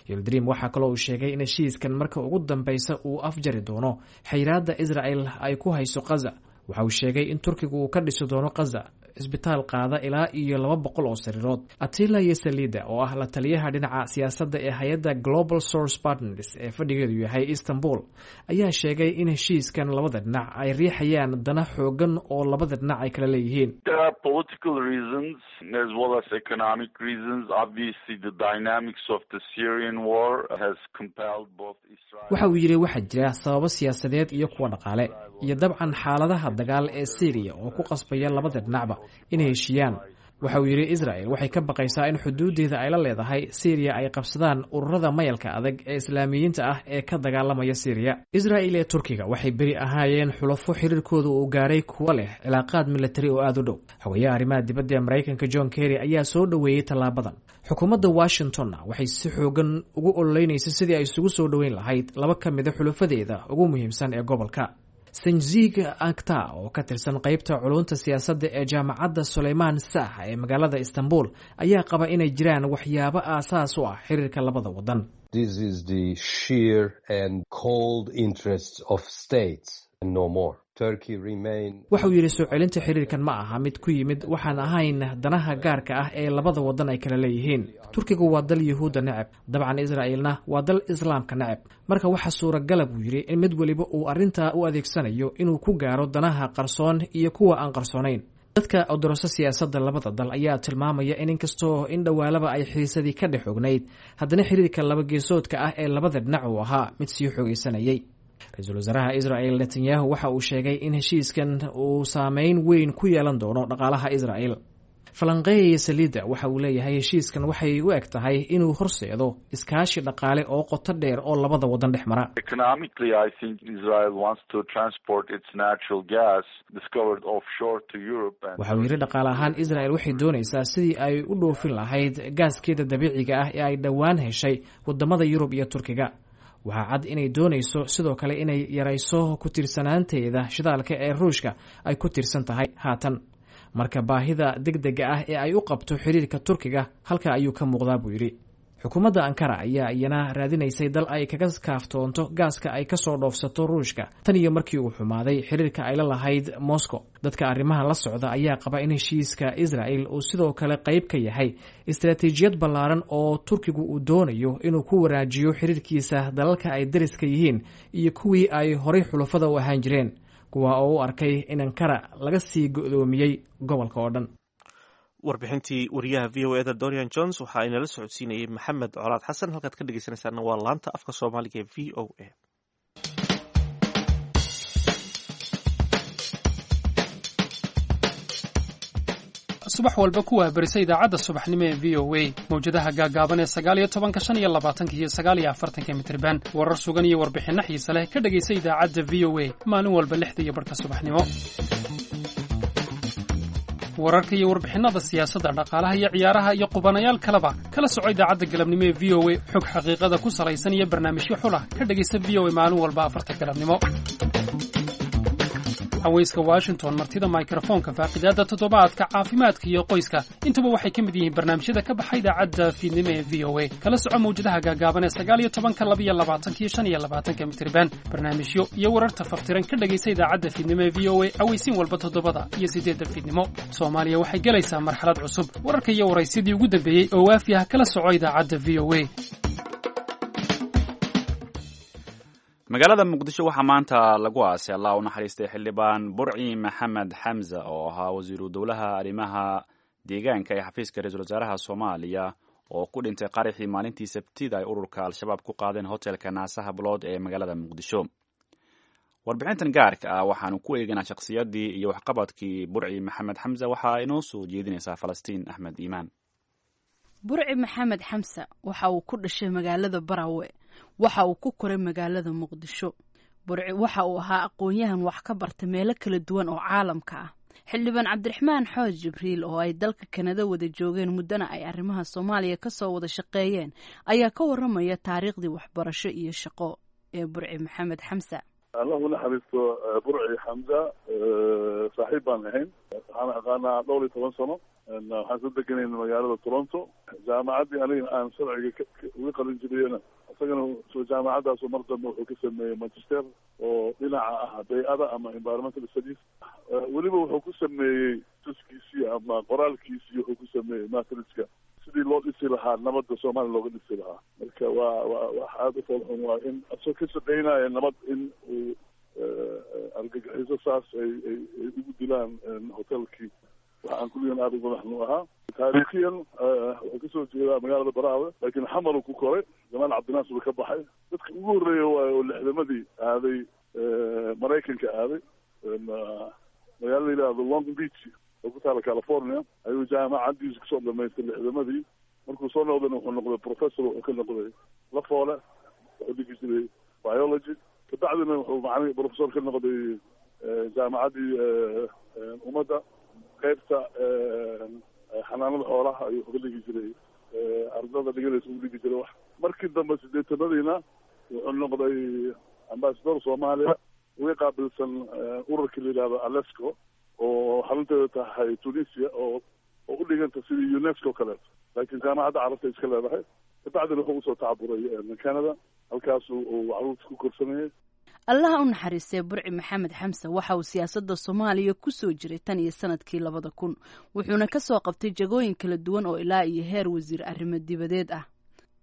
Yildirim waxaa kaloo uu sheegay in heshiiskan marka ugu dambeysa uu afjari doono xayiraadda Israel ay ku hayso Khaza. Waxa uu sheegay in Turkigu uu ka dhisi doono Khaza isbitaal qaada ilaa iyo 200 oo sariirood. Atila Yesalida, oo ah la taliyaha dhinaca siyaasadda ee hay-adda Global Source Partners ee fadhigeedu yahay Istanbul, ayaa sheegay in heshiiskan labada dhinac ay riixayaan dana xoogan oo labada dhinac ay kala leeyihiin. There are political reasons as well as economic reasons. Obviously, the dynamics of the Syrian war has compelled both Israel. Waxa uu yidhi waxaa jira sababo siyaasadeed iyo kuwa dhaqaale, iyo dabcan xaaladaha dagaal ee Syriya oo ku qasbaya labada dhinacba inay heshiiyaan. Waxa uu yidhi Israel waxay ka baqaysaa in xuduuddeeda ay la leedahay Syriya ay qabsadaan ururada mayalka adag ee Islaamiyiinta ah ee ka dagaalamaya Syriya. Israel ee Turkiga waxay beri ahaayeen xulafo xiriirkooda uu gaaray kuwa leh cilaaqaad militari oo aada u dhow. Xogayaha arrimaha dibadda ee Maraykanka John Kerry ayaa soo dhoweeyey tallaabadan. Xukuumadda Washingtonna waxay si xoogan ugu ololeynaysa sidii ay isugu soo dhoweyn lahayd laba ka mida xulafadeeda ugu muhiimsan ee gobolka. Sanzig Ankta, oo ka tirsan qeybta culunta siyaasadda ee jaamacadda Suleymaan Saah ee magaalada Istanbul, ayaa qaba inay jiraan waxyaabo aasaas u ah xiriirka labada wadan. This is the sheer and cold interests of states and no more. Turkey remain Waxa uu yidhi soo celinta xiriirkan ma aha mid ku yimid waxaan ahayn danaha gaarka ah ee labada wadan ay kala leeyihiin. Turkigu waa dal Yuhuudda neceb, dabcan Israa'ilna waa dal Islaamka neceb. Marka waxaa suuragala, buu yidhi, in mid weliba uu arrintaa u adeegsanayo inuu ku gaaro danaha qarsoon iyo kuwa aan qarsoonayn. Dadka odoroso siyaasadda labada dal ayaa tilmaamaya in inkastoo in dhowaalaba ay xiisadii ka dhex ognayd, haddana xiriirka laba geesoodka ah ee labada dhinac uu ahaa mid sii xoogaysanayay. Ra-iisul wasaaraha Israel Netanyahu waxa uu sheegay in heshiiskan uu saameyn weyn ku yeelan doono dhaqaalaha Israel. Falanqeeya Saliida waxa uu leeyahay heshiiskan waxay u eg tahay inuu horseedo iskaashi dhaqaale oo qoto dheer oo labada wadan dhex mara. Economically, I think Israel wants to transport its natural gas discovered offshore to Europe. And Waxa uu yidhi dhaqaale ahaan Israel waxay doonaysaa sidii ay u dhoofin lahayd gaaskeeda dabiiciga ah ee ay dhowaan heshay wadamada Yurub iyo Turkiga. Waxaa cad inay doonayso sidoo kale inay yarayso ku tiirsanaanteeda shidaalka ee Ruushka ay ku tiirsan tahay haatan. Marka baahida degdega ah ee ay u qabto xiriirka Turkiga halka ayuu ka muuqdaa, buu yidhi. Xukuumadda Ankara ayaa iyana raadinaysay dal ay kaga kaaftoonto gaaska ay kasoo dhoofsato Ruushka tan iyo markii uu xumaaday xiriirka ay la lahayd Moscow. Dadka arrimaha la socda ayaa qaba in heshiiska Israel uu sidoo kale qayb ka yahay istaraatiijiyad ballaaran oo Turkigu uu doonayo inuu ku wanaajiyo xiriirkiisa dalalka ay dariska yihiin iyo kuwii ay horay xulafada u ahaan jireen, kuwa oo u arkay in Ankara laga sii go'doomiyey gobolka oo dhan. Warbixintii wariyaha VOA da Dorian Jones waxa inala socodsiinayay Maxamed Colaad Xasan. Halkaad ka dhegeysanaysaana waa laanta afka Soomaaliga ee VOA. Subax walba ku wahbarisa idaacadda subaxnimo ee VOA mawjadaha gaagaaban ee 19-ka, 25-ka iyo 49-ka mitirban. Warar sugan iyo warbixinno xiise leh ka dhegaysa idaacadda VOA maalin walba 6:30 subaxnimo. Wararka iyo warbixinnada siyaasadda, dhaqaalaha iyo ciyaaraha iyo qubanayaal kaleba kala soco idaacadda galabnimo ee VOA. Xog xaqiiqada ku salaysan iyo barnaamijyo xulah ka dhegaysa VOA maalin walba 4-ta galabnimo. Haweyska Washington, martida mikrofoonka, faaqidaadda toddobaadka, caafimaadka iyo qoyska, intuba waxay ka mid yihiin barnaamijyada ka baxa idaacadda fiidnimo ee VOA. Kala soco mawjadaha gaagaaban ee 19-ka, 22-ka iyo 25-ka mitirban. Barnaamijyo iyo wararta faftiran ka dhegaysa idaacadda fiidnimo ee VOA aweysiin walba 7-da iyo 8-da fiidnimo. Soomaaliya waxay gelaysaa marxalad cusub. Wararka iyo waraysyadii ugu dambeeyey oo waafi ah kala soco idaacadda VOA. Magaalada Muqdisho waxaa maanta lagu aasay, Allah u naxariistay, xildhibaan Burci Maxamed Xamza oo ahaa wasiiru dowlaha arrimaha deegaanka ee xafiiska ra-iisul wasaaraha Soomaaliya, oo ku dhintay qaraxii maalintii Sabtida ay ururka Al-Shabaab ku qaadeen hotelka Naasaha Bulood ee magaalada Muqdisho. Warbixintan gaarka ah waxaanu ku eeganaa shakhsiyaddii iyo waxqabadkii Burci Maxamed Xamse. Waxaa inoo soo jeedinaysaa Falastiin Axmed Iimaan. Burci Maxamed Xamse waxa uu ku dhashay magaalada Barawe, waxa uu ku koray magaalada Muqdisho. Burci waxa uu ahaa aqoon-yahan wax ka barta meelo kala duwan oo caalamka ah. Xildhibaan Cabdiraxmaan Xooj Jibriil oo ay dalka Kanada wada joogeen muddana ay arrimaha Soomaaliya ka soo wada shaqeeyeen ayaa ka waramaya taariikhdii waxbarasho iyo shaqo ee Burci Maxamed Xamse. Allahu naxariisto Burci Xamza, saaxiib baan ahayn. Waxaan aqaanaa dhowr iyo toban sano. Waxaan soo deganayna magaalada Toronto. Jaamacaddii aniga aan sharciga uga qalin jibiyena, isagana jaamacadaasu mar dambe wuxuu ka sameeyey magister oo dhinaca ah bay-ada ama environmental studies. Weliba wuxuu ku sameeyey tuskiisii ama qoraalkiisii, wuxuu ku sameeyey masterska sidii loo dhisi lahaa nabadda Soomaaliya looga dhisi lahaa. Marka waa wax aada u foolxun waa in asoo ka shaqeynaya nabad in uu argagixiso saas ay ugu dilaan hotelkii. Waxa aan kulligan aada uga madaxnu ahaa. Taariikhiyan wuxuu kasoo jeedaa magaalada Baraawe, laakiin Xamaru ku koray. Jamaal Cabdinaasir buu ka baxay. Dadka ugu horreeya waayo oo 60-madii aaday Maraykanka, aaday magaala la yidhaahdo Long Beach oo ku taala California ayuu jaamacaddiisu kusoo dhamaystay 60-madii. Markuu soo noqdayna wuxuu noqday professor, wuxuu ka noqday Lafoole, wuxuu dhigi jiray biology. Kabacdina wuxuu macali professor ka noqday jaamacaddii Ummadda, qaybta xanaanada xoolaha ayuu ka dhigi jiray, ardada dhiganaysa ugu dhigi jiray wax. Markii dambe 80-madiina wuxuu noqday ambassador Soomaaliya uga qaabilsan ururkii la yidhahdo ALESCO oo xarunteeda tahay Tunisia oo u dhiganta sidii UNESCO kaleeto, laakiin Jaamacadda Carabta iska leedahay. Kabacdina wuxuu usoo tacaburay Canada, halkaasu uu caruurta ku korsanayay. Allaha u naxariistay Burci Maxamed Xamse waxa uu siyaasadda Soomaaliya ku soo jiray tan iyo sanadkii 2000, wuxuuna ka soo qabtay jagooyin kala duwan oo ilaa iyo heer wasiir arrimo dibadeed ah.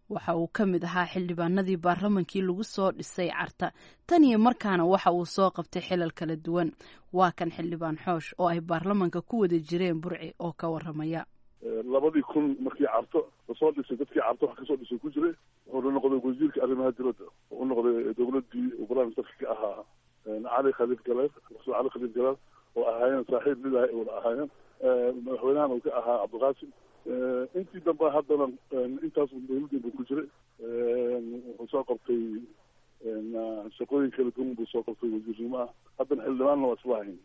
Waxa uu ka mid ahaa xildhibaanadii baarlamankii lagu soo dhisay Carta, tan iyo markaana waxa uu soo qabtay xilal kala duwan. Waa kan xildhibaan Xoosh oo ay baarlamanka ku wada jireen Burci oo ka waramaya. 2000 markii Carto lasoo dhisay, dadkii Carto wax kasoo dhisay ku jiray. Wuxuuna noqday wasiirka arrimaha dibadda. Wuxuu noqday dowladdii uu prime ministerka ka ahaa Cali Khaliif Galeer, Professor Cali Khaliif Galeer, oo ahaayeen saaxiib mid ah wada ahaayeen, madaxweynahan uu ka ahaa Cabdiqaasim. Intii dambe haddana intaas dowladdii buu ku jiray. Wuxuu soo qabtay shaqooyin kala duwan buu soo qabtay, wasiirnimo ah, haddana xildhibaanna waa isla ahayn.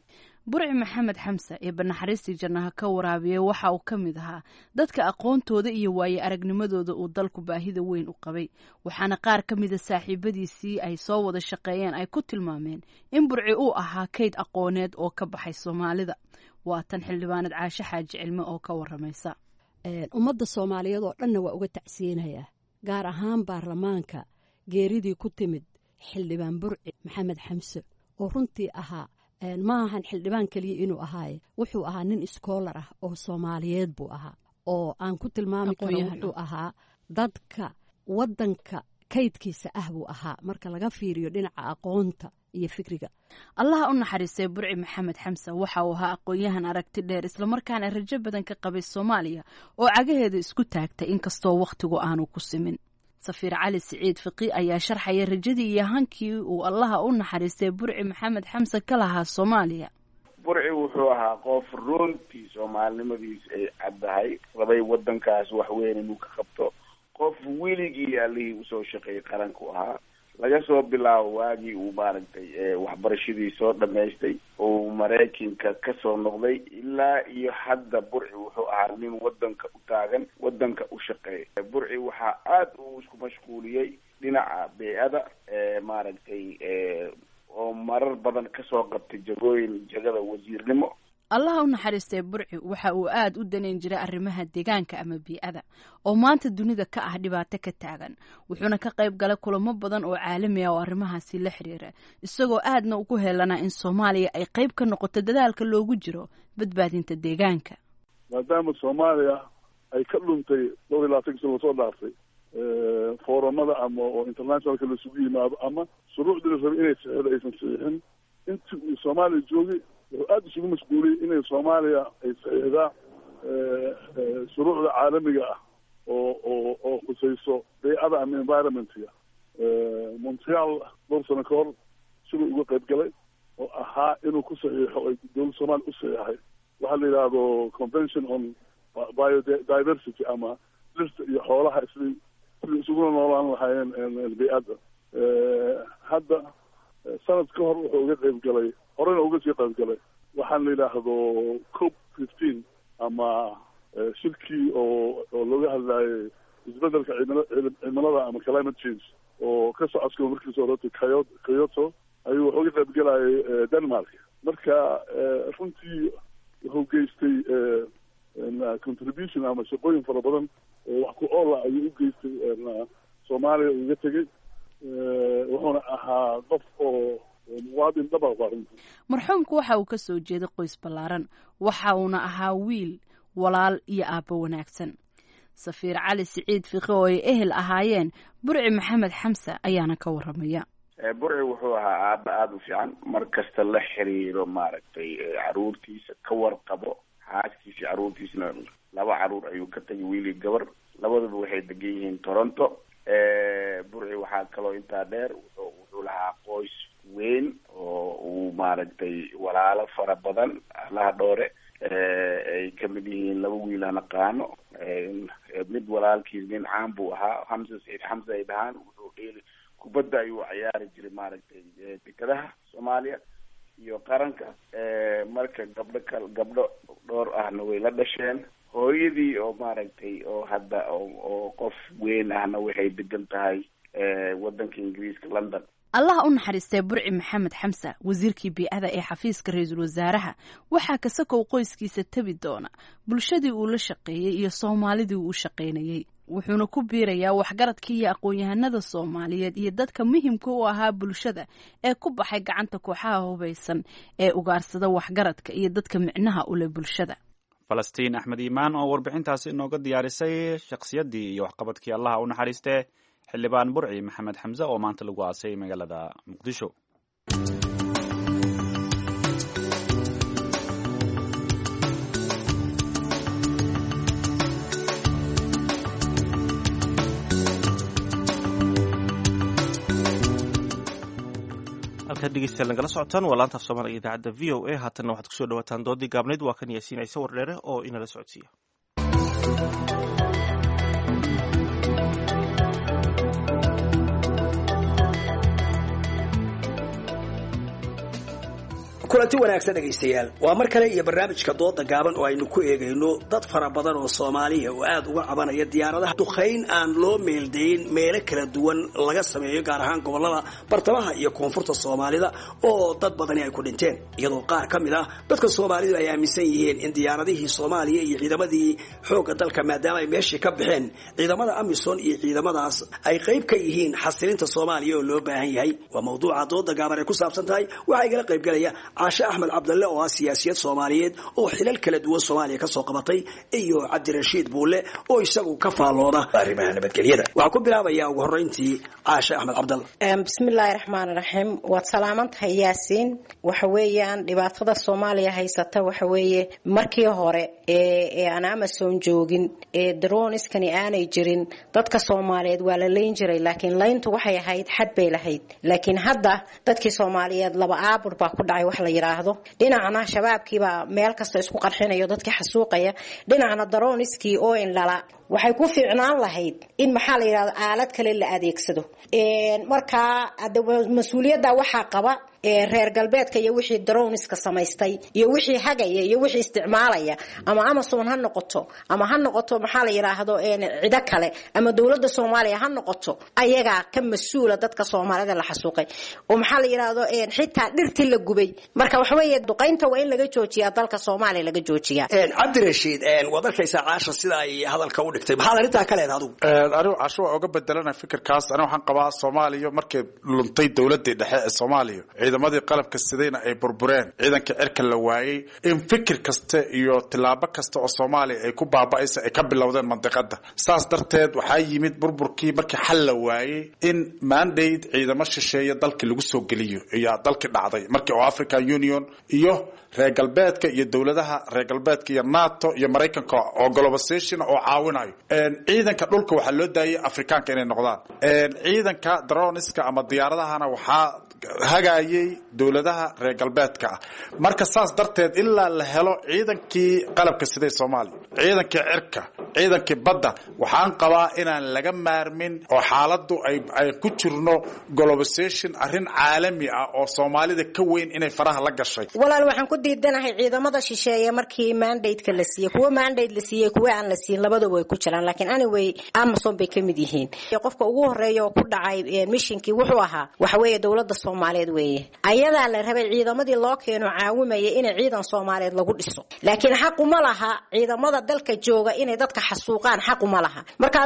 Burci Maxamed Xamse ee banaxariistii jannaha ka waraabiyey waxa uu ka mid ahaa dadka aqoontooda iyo waaye aragnimadooda uu dalku baahida weyn u qabay, waxaana qaar ka mida saaxiibadiisii ay soo wada shaqeeyeen ay ku tilmaameen in Burci uu ahaa kayd aqooneed oo ka baxay Soomaalida. Waa tan xildhibaanad Caashe Xaaji Cilme oo ka waramaysa. Ummadda Soomaaliyeed oo dhanna waa uga tacsiyeynayaa, gaar ahaan baarlamaanka, geeridii ku timid xildhibaan Burci Maxamed Xamse oo runtii ahaa, ma ahan xildhibaan keliya inuu ahaaye, wuxuu ahaa nin iskoolar ah oo Soomaaliyeed buu ahaa oo aan ku tilmaami karo. Wuxuu ahaa dadka waddanka kaydkiisa ah buu ahaa marka laga fiiriyo dhinaca aqoonta iyo fikriga. Allaha u naxariistay Burci Maxamed Xamse waxa uu ahaa aqoon-yahan aragti dheer, islamarkaana rajo badan ka qabay Soomaaliya oo cagaheeda isku taagtay, inkastoo wakhtigu aanu ku simin. Safiir Cali Siciid Fiqi ayaa sharxaya rajadii iyo hankii uu allaha u naxariistay Burci Maxamed Xamse ka lahaa Soomaaliya. Burci wuxuu ahaa qof runtii soomaalinimadiis ay caddahay, rabay waddankaas wax weyn inuu ka qabto, qof weligii allihii usoo shaqeeyay qaranku ahaa, laga soo bilaabo waagii uu maaragtay waxbarashadii soo dhamaystay uu Maraykanka kasoo noqday ilaa iyo hadda. Burci wuxuu ahaa nin waddanka u taagan, waddanka u shaqeeya. Burci waxaa aada uu isku mashquuliyey dhinaca bey-ada, maaragtay, oo marar badan kasoo qabtay jagooyin, jagada wasiirnimo. Allaha u naxariistay Burci waxa uu aada u danayn jiray arrimaha deegaanka ama bii'ada oo maanta dunida ka ah dhibaato ka taagan, wuxuuna ka qayb galay kulamo badan oo caalami ah oo arrimahaasi la xiriira, isagoo aadna ugu heelanaa in Soomaaliya ay qayb ka noqoto dadaalka loogu jiro badbaadinta deegaanka. Maadaama Soomaaliya ay ka dhuntay dhowr iyo labaatanki sano lasoo dhaaftay foorumada ama oo internationalka laisugu yimaado ama shuruucdii la rabay inay saxiixdo aysan saxiixin, intii uu Soomaaliya joogay wuxuu aada isugu mashquuliyey inay Soomaaliya ay saxiixdaa shuruucda caalamiga ah oo khusayso beycada ama environmentga. Montreal dhowr sano ka hor Siduu uga qayb galay oo ahaa inuu ku saxiixo ay dowladda soomaaliya u saxiixay waxaa la yidhaahdo Convention on Biodiversity ama dhirta iyo xoolaha sidii isuguna noolaan lahaayeen bey-adda. Hadda sanad ka hor wuxuu uga qayb galay, horena uga sii qayb galay, waxaan la yidhaahdo COP 15 ama shirkii oo looga hadlaayay isbedelka cimilada ama climate change oo ka socodka markiisa horeeto Kyoto ayuu wuxuu uga qayb galayay Denmark. Marka runtii wuxuu geystay contribution ama shaqooyin fara badan oo wax ku oola ayuu u geystay Soomaaliya uga tegey. Wuxuuna ahaa qof oo muwaadin dhaba waa runtii. Marxuumku waxa uu ka soo jeeday qoys ballaaran, waxa uuna ahaa wiil, walaal iyo aabbo wanaagsan. Safiir Cali Siciid Fiqi oo ay ehel ahaayeen Burci Maxamed Xamse ayaana ka warramaya. Burci wuxuu ahaa aaba aada u fiican, mar kasta la xiriiro maaragtay caruurtiisa, ka warqabo xaaskiisa. Caruurtiisna laba caruur ayuu ka tagay, wiil iyo gabar, labaduba waxay degan yihiin Toronto. Burci waxaa kaloo intaa dheer wuxuu lahaa qoys weyn oo uu maaragtay walaalo fara badan, Allaha dhoore, ay kamid yihiin laba wiil aan aqaano. Mid walaalkiis nin caan buu ahaa, Xamse Saciid Xamse ay dhahaan, wuxuu dheeli kubadda ayuu ciyaari jiray maaragtay dekadaha Soomaaliya iyo qaranka. Marka gabdho kal gabdho dhowr ahna way la dhasheen. Hooyadii oo maaragtay oo hadda oo qof weyn ahna waxay degan tahay waddanka Ingiriiska, London. Allah u naxariistay Burci Maxamed Xamse, wasiirkii bii'ada ee xafiiska ra-iisul wasaaraha. Waxaa kasakow qoyskiisa tabi doona bulshadii uu la shaqeeyey iyo soomaalidii uu u shaqaynayey, wuxuuna ku biirayaa waxgaradkii iyo aqoon-yahanada soomaaliyeed iyo dadka muhimka u ahaa bulshada ee ku baxay gacanta kooxaha hubaysan ee ugaarsada waxgaradka iyo dadka micnaha u leh bulshada. Falastiin Axmed Iimaan oo warbixintaasi inooga diyaarisay shakhsiyaddii iyo waxqabadkii Allaha u naxariistee Xildhibaan Burci Maxamed Xamse oo maanta lagu aasay magaalada Muqdisho. Halkaad dhegeystayaal nagala socotaan waa laanta af Soomaaliga idaacadda VOA. Haatanna waxaad kusoo dhawaataan doodii gaabnayd. Waa kan Yaasiin Ciise Wardheere oo inala socodsiiya. Kulanti wanaagsan dhegaystayaal, waa mar kale iyo barnaamijka dooda gaaban oo aynu ku eegayno dad fara badan oo Soomaaliya oo aad uga cabanaya diyaaradaha duqayn aan loo meeldayn meelo kala duwan laga sameeyo, gaar ahaan gobollada bartamaha iyo koonfurta Soomaalida oo dad badani ay ku dhinteen, iyadoo qaar ka mid ah dadka Soomaalidu ay aaminsan yihiin in diyaaradihii Soomaaliya iyo ciidamadii xoogga dalka, maadaama ay meeshii ka baxeen ciidamada AMISOM iyo ciidamadaas, ay qayb ka yihiin xasilinta Soomaaliya oo loo baahan yahay. Waa mawduuca dooda gaaban ay ku saabsan tahay. Waxaa igala qaybgalaya Caashe Axmed Cabdalle oo ah siyaasiyad Soomaaliyeed oo xilal kala duwan Soomaaliya kasoo qabatay, iyo Cabdirashiid Buulle oo isagu ka faallooda arrimaha nabadgelyada. Waxaan ku bilaabayaa ugu horreyntii Caashe Axmed Cabdalle. Bismillaahi raxmaani raxiim. Waad salaaman tahay, Yaasiin. Waxa weeyaan dhibaatada Soomaaliya haysata waxa weeye markii hore ee aan AMISOM joogin ee droniskani aanay jirin, dadka Soomaaliyeed waa la leyn jiray, laakiin layntu waxay ahayd xad bay lahayd. Laakiin hadda dadkii Soomaaliyeed laba aabur baa ku dhacay wax la yiraahdo. Dhinacna shabaabkiibaa meel kasta isku qarxinayo, dadkii xasuuqaya, dhinacna daroniskii oo indhala. Waxay ku fiicnaan lahayd in maxaa la yidhahdo aalad kale la adeegsado. Markaa mas-uuliyadda waxaa qaba reer galbeedka iyo wixii droniska samaystay iyo wixii hagaya iyo wixii isticmaalaya, ama AMISOM ha noqoto ama ha noqoto maxaa la yidhaahdo cido kale ama dowladda Soomaaliya ha noqoto, ayagaa ka mas-uula dadka Soomaalida la xasuuqay oo maxaa la yidhaahdo xitaa dhirtii la gubay. Marka waxa weeye duqaynta waa in laga joojiyaa dalka Soomaaliya, laga joojiyaa. Cabdirashiid, waad arkaysaa Caasha sida ay hadalka u dhigtay, maxaad arrintaa ka leedahay adigu? Anigu Caasho waa oga bedelana fikirkaas. Anigu waxaan qabaa Soomaaliya markay luntay dowladii dhexe ee Soomaaliya, ciidamadii qalabka sidayna ay burbureen, ciidanka cirka la waayey, in fikir kasta iyo tilaabo kasta oo Soomaaliya ay ku baaba'aysa ay ka bilowdeen mandiqada. Saas darteed waxaa yimid burburkii markii xal la waayey in mandate ciidamo shisheeye dalkii lagu soo geliyo iyo dalkii dhacday markii oo African Union iyo reer galbeedka iyo dowladaha reer galbeedka iyo NATO iyo Maraykanka oo globalization oo caawinayo. Ciidanka dhulka waxaa loo daayay Afrikaanka inay noqdaan, ciidanka droniska ama diyaaradahana waxaa hagayay dowladaha reer galbeedka ah. Marka saas darteed ilaa la helo ciidankii qalabka siday Soomaaliya, ciidankii cirka, ciidankii badda, waxaan qabaa inaan laga maarmin oo xaaladdu ay ku jirno globalization, arrin caalami ah oo Soomaalida ka weyn inay faraha la gashay. Walaal, waxaan ku diidanahay ciidamada shisheeye markii mandate-ka la siiyey, kuwa mandate la siiyey, kuwa aan la siin, labadaba way ku jiraan, laakiin anyway Amazon bay ka mid yihiin. Qofka ugu horeeya oo ku dhacay mishinkii wuxuu ahaa waxa weeye dowladda Soomaaliyeed weeye. Ayadaa la rabay ciidamadii loo keeno caawimaya inay ciidan Soomaaliyeed lagu dhiso, laakiin xaqu ma laha ciidamada dalka jooga inay dadka xasuuqaan, xaqu ma laha. Marka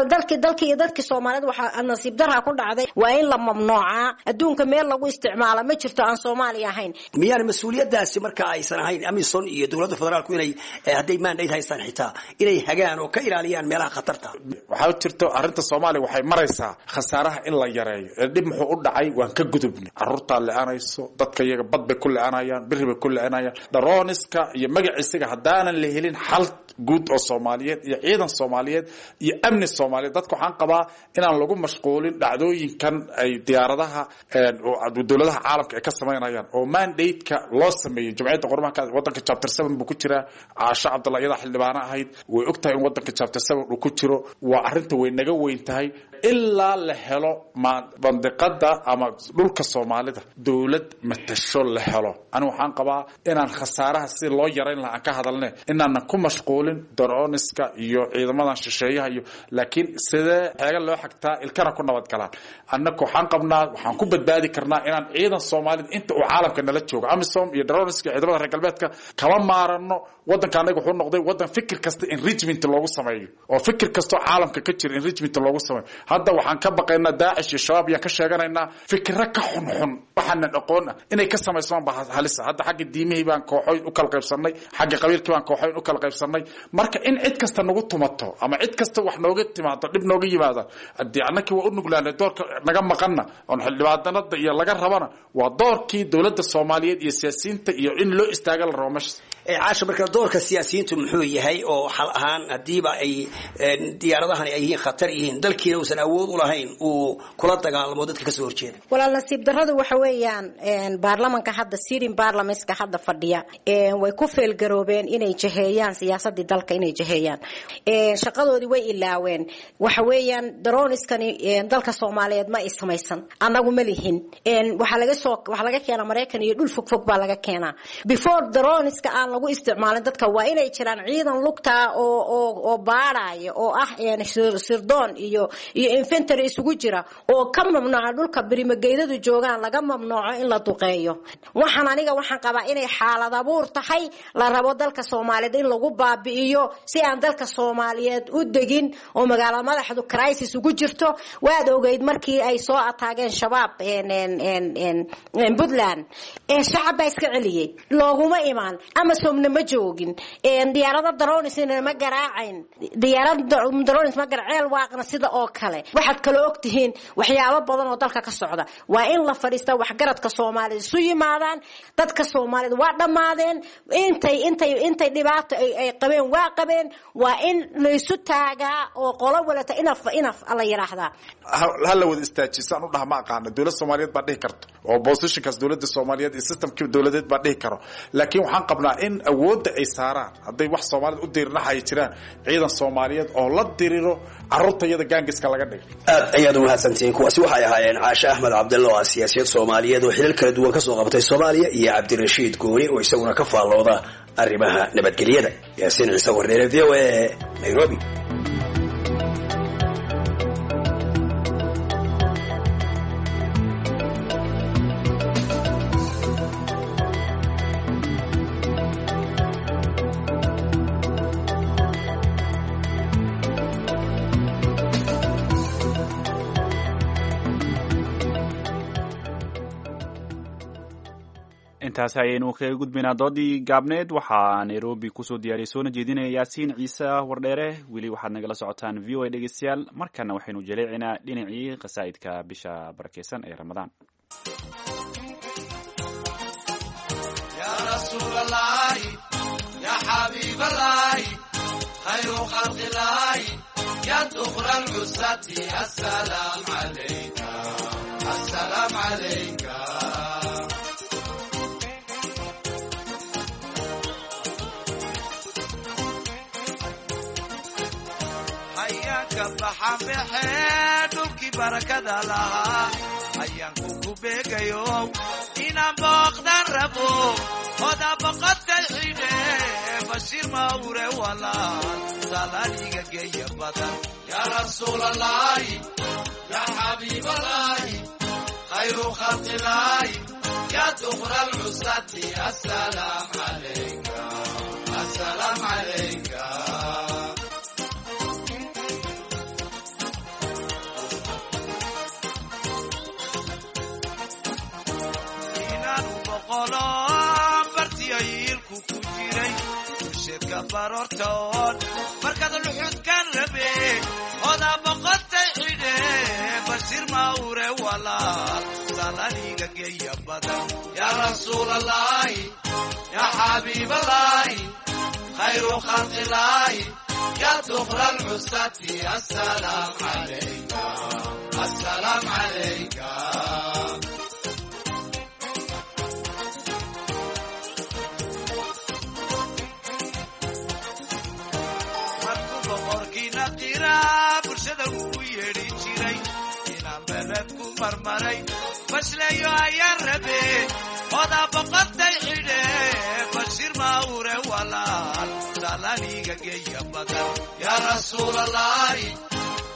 dalkii iyo dadkii Soomaaliyeed waxaa nasiib darra ku dhacday, waa in la mamnuucaa. Adduunka meel lagu isticmaala ma jirto aan Soomaaliya ahayn. Miyaan mas-uuliyaddaasi marka aysan ahayn Amison iyo dowladda federaalku inay hadday mandate haystaan xitaa inay hagaan oo ka ilaaliyaan meelaha khatarta? Waxaa jirto arrinta Soomaaliya waxay maraysaa khasaaraha in la yareeyo. Dhib muxuu u dhacay waan ka gudubnay. Carruurtaa le-anayso, dadka iyaga bad bay ku le-anayaan, biri bay ku le-anayaan. Darooniska iyo magaciisiga haddaanan la helin xal guud oo Soomaaliyeed iyo ciidan Soomaaliyeed iyo amni Soomaaliyeed, dadka waxaan qabaa inaan lagu mashquulin dhacdooyinkan ay diyaaradaha dowladaha caalamka ay ka samaynayaan oo mandate-ka loo sameeyey Jumciyadda Qurumaha. Wadanka chapter 7 buu ku jiraa. Caasho Cabdalla iyadaa xildhibaano ahayd, way og tahay in wadanka chapter 7 uu ku jiro. Waa arrinta way naga weyn tahay ilaa la helo bandiqada ama dhulka Soomaalida dowlad matasho la helo. Ani waxaan qabaa inaan khasaaraha si loo yarayn lahaa aan ka hadalne, inaanan ku mashquulin darooniska iyo ciidamadan shisheeyaha iyo, laakiin sidee xeega loo xagtaa ilkana ku nabadgalaan. Annaka waxaan qabnaa waxaan ku badbaadi karnaa inaan ciidan Soomaalida inta uu caalamka nala joogo Amisom iyo darooniska iyo ciidamada reer galbeedka kama maarano. Wadanka anaga wuxuu noqday wadan fikir kasta enrichment loogu sameeyo, oo fikir kastoo caalamka ka jira enrichment loogu sameeyo. Hadda waxaan ka baqaynaa Daacish iyo Shabaab ayaan ka sheeganaynaa, fikiro ka xunxun waxaanan aqoon ah inay ka samaysmaan baa halisa. Hadda xagga diimihii baan kooxoyn u kala qaybsanay, xagga qabiilkii baan kooxoyn u kala qaybsanay. Marka in cid kasta nagu tumato ama cid kasta wax nooga timaado, dhib nooga yimaada, haddii annakii waa u nuglaanay. Doorka naga maqanna oon xildhibaanada iyo laga rabana waa doorkii dowladda Soomaaliyeed iyo siyaasiyiinta iyo in loo istaaga la rabo meesha. Caasha, marka doorka siyaasiyiintu muxuu yahay oo xal ahaan haddiiba ay diyaaradahani ay yihiin khatar yihiin, dalkiina uusan awood u lahayn uu kula dagaalamo dadka kasoo horjeeda? Walaal, nasiib darradu waxa weeyaan baarlamanka hadda sirin baarlamanska hadda fadhiya way ku feelgaroobeen inay jaheeyaan siyaasadii dalka, inay jaheeyaan shaqadoodii way ilaaween. Waxa weeyaan daroniskani dalka Soomaaliyeed ma ay samaysan, annagu ma lihin. Waxaa laga soo waxaa laga keenaa Maraykan iyo dhul fog fog baa laga keenaa. Before daroniska aan lagu isticmaalin dadka waa inay jiraan ciidan lugta oo oo oo baaraya oo ah sirdoon iyo infantry isugu jira oo ka mamnuuca dhulka birimageydadu joogaan, laga mamnuuco in la duqeeyo. Waxaan aniga waxaan qabaa inay xaalad abuur tahay la rabo dalka Soomaaliyeed in lagu baabi'iyo si aan dalka Soomaaliyeed u degin oo magaalada madaxdu crisis ugu jirto. Waad ogeyd markii ay soo ataageen Shabaab Puntland, shacab baa iska celiyey, looguma imaan, Amazonna ma joogin, diyaarado dronesna ma garaacayn, diyaarad drones ma garaceel waaqna sida oo kale. Waxaad kala ogtihiin waxyaabo badan oo dalka ka socda. Waa in la fadhiista, waxgaradka Soomaalida isu yimaadaan. Dadka Soomaalida waa dhammaadeen, intay intay intay dhibaato ay qabeen waa qabeen. Waa in la isu taagaa oo qolo walata inaf inaf la yiraahdaa. Ha la wada istaajisaan u dhaha ma aqaana. Dowladda Soomaaliyeed baa dhihi karto oo positionkaas dowladda Soomaaliyeed iyo systemkii dowladeed baa dhihi karo, laakiin waxaan qabnaa in awoodda ay saaraan hadday wax Soomaalida u diirnaxay jiraan ciidan Soomaaliyeed oo la diriro carruurta iyada gaangiska laga dhigay. Aad ayaad u mahadsantihiin. Kuwaasi waxay ahaayeen Caashe Axmed Cabdalla oo ah siyaasiyad Soomaaliyeed oo xilal kala duwan kasoo qabatay Soomaaliya, iyo Cabdirashiid Gooni oo isaguna ka faallooda arrimaha nabadgelyada. Yaasiin Ciise Warneere, V O A, Nairobi. Intaasi ayaynu kaga gudbaynaa doodii gaabneed. Waxaa Nairobi kusoo diyaariyay soona jeedinaya Yaasiin Ciise Wardheere. Weli waxaad nagala socotaan V O A dhegeystayaal. Markana waxaynu jaleecinaa dhinacii qasaa'idka bisha barakeysan ee Ramadaan. يا Ka baxan baxee dhulkii barakada lahaa ayaan kuku beegayo inaan booqdan rabo oda boqotay xidhe Bashiir Mawre walaal salaadiga geeya badan. Yaa Rasuulalaahi, yaa Xabiibalaahi, khayru khalqilaahi, yaa duqra alcusati, asalaam calayka, asalaam calayka. Bartiayilku ku jiray bulsheedka baroortoon markaad luxudkan rabe oda boqotay xidhe Bashiir Mawre walaal salaliga geeya badan. Yaa Rasuulalaahi, yaa Xabiibalaahi, khayru khalqilaahi, yaa duqra alcusati, asalaam calayka, asalaam calayka. Bulshada uu yeedhi jiray inaan beled ku marmaray bashleeyo ayaan rabe oda boqotay xidhe Bashiir Mawre walaal salaliga geeya badan. Yaa Rasuulalaahi,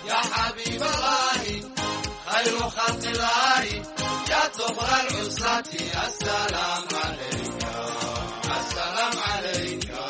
yaa Xabiibalaahi, khayru khalqilaahi, yaa duqra alcusati, asalaam calayka, asalaam calayka.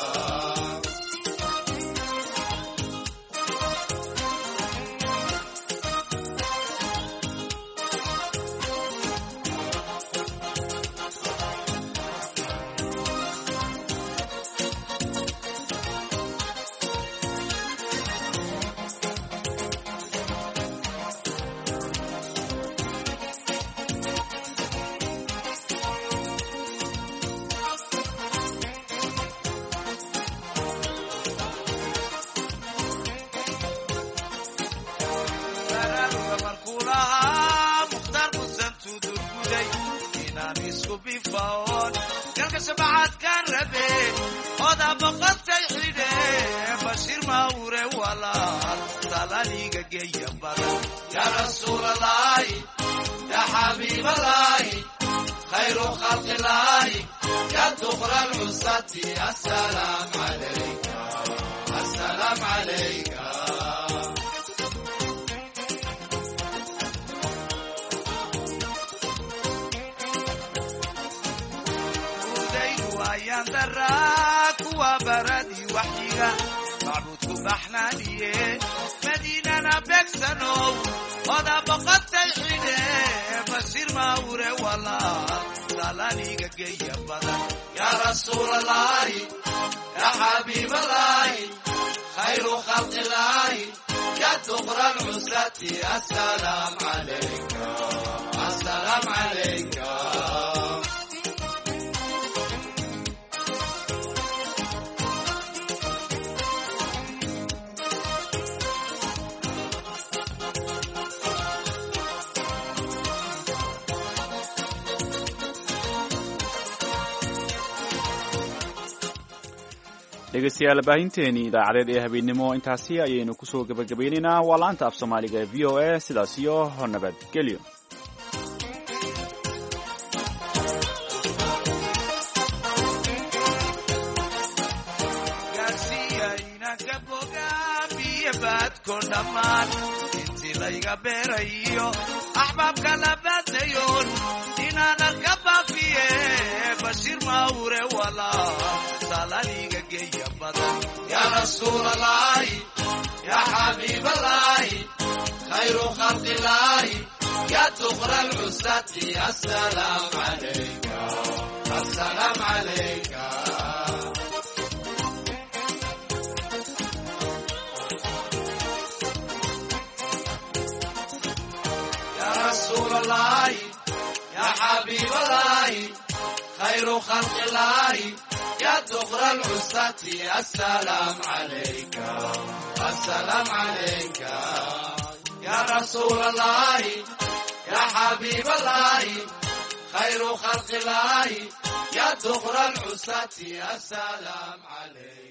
Galka shabacaadkaan rabe oda boqotay xidhe Bashiir Mawre walaal salaliga geeya badan. Yaa Rasuulalaahi, yaa Xabiibalaahi, khayru khalqilaahi, yaa duqra alcusati, asalaam calayka, asalaam calayka. Kuwa baradii waxyiga macbuudku baxnaaniye madiinana beegsanow oda boqotay xidhe Bashiir Mawre walaal salaliga geeya badan. Yaa Rasuulalaahi, yaa Xabiibalaahi, khayru khalqilaahi, yaa duqra alcusati, asalaam calayka, asalaam calayka. Dhegeystayaal, baahinteennii idaacadeed ee habeennimo intaasi ayaynu kusoo gebagabaynaynaa. Waa laanta af Soomaaliga ee VOA. Sidaas iyo nabadgelyo. Gaarsiiya inanka bogaamiyo baadko dhammaan intii layga beerayo axbaabka la baadnayoon inaan arka baafiye Bashiir Mawre walaal salaliga geeya badan. Yaa Rasuulalaahi, yaa Xabiibalaahi, khayru khalqilaahi, yaa duqra alcusati, asalaam calayka, asalaam calayka. Yaa Rasuulalaahi, yaa Xabiibalaahi, khayru khalqilaahi, yaa duqra alcusati, asalaam calayka, asalaam calayka. Yaa Rasuulalaahi, yaa Xabiibalaahi, khayru khalqilaahi, yaa duqra alcusati, asalaam calayka.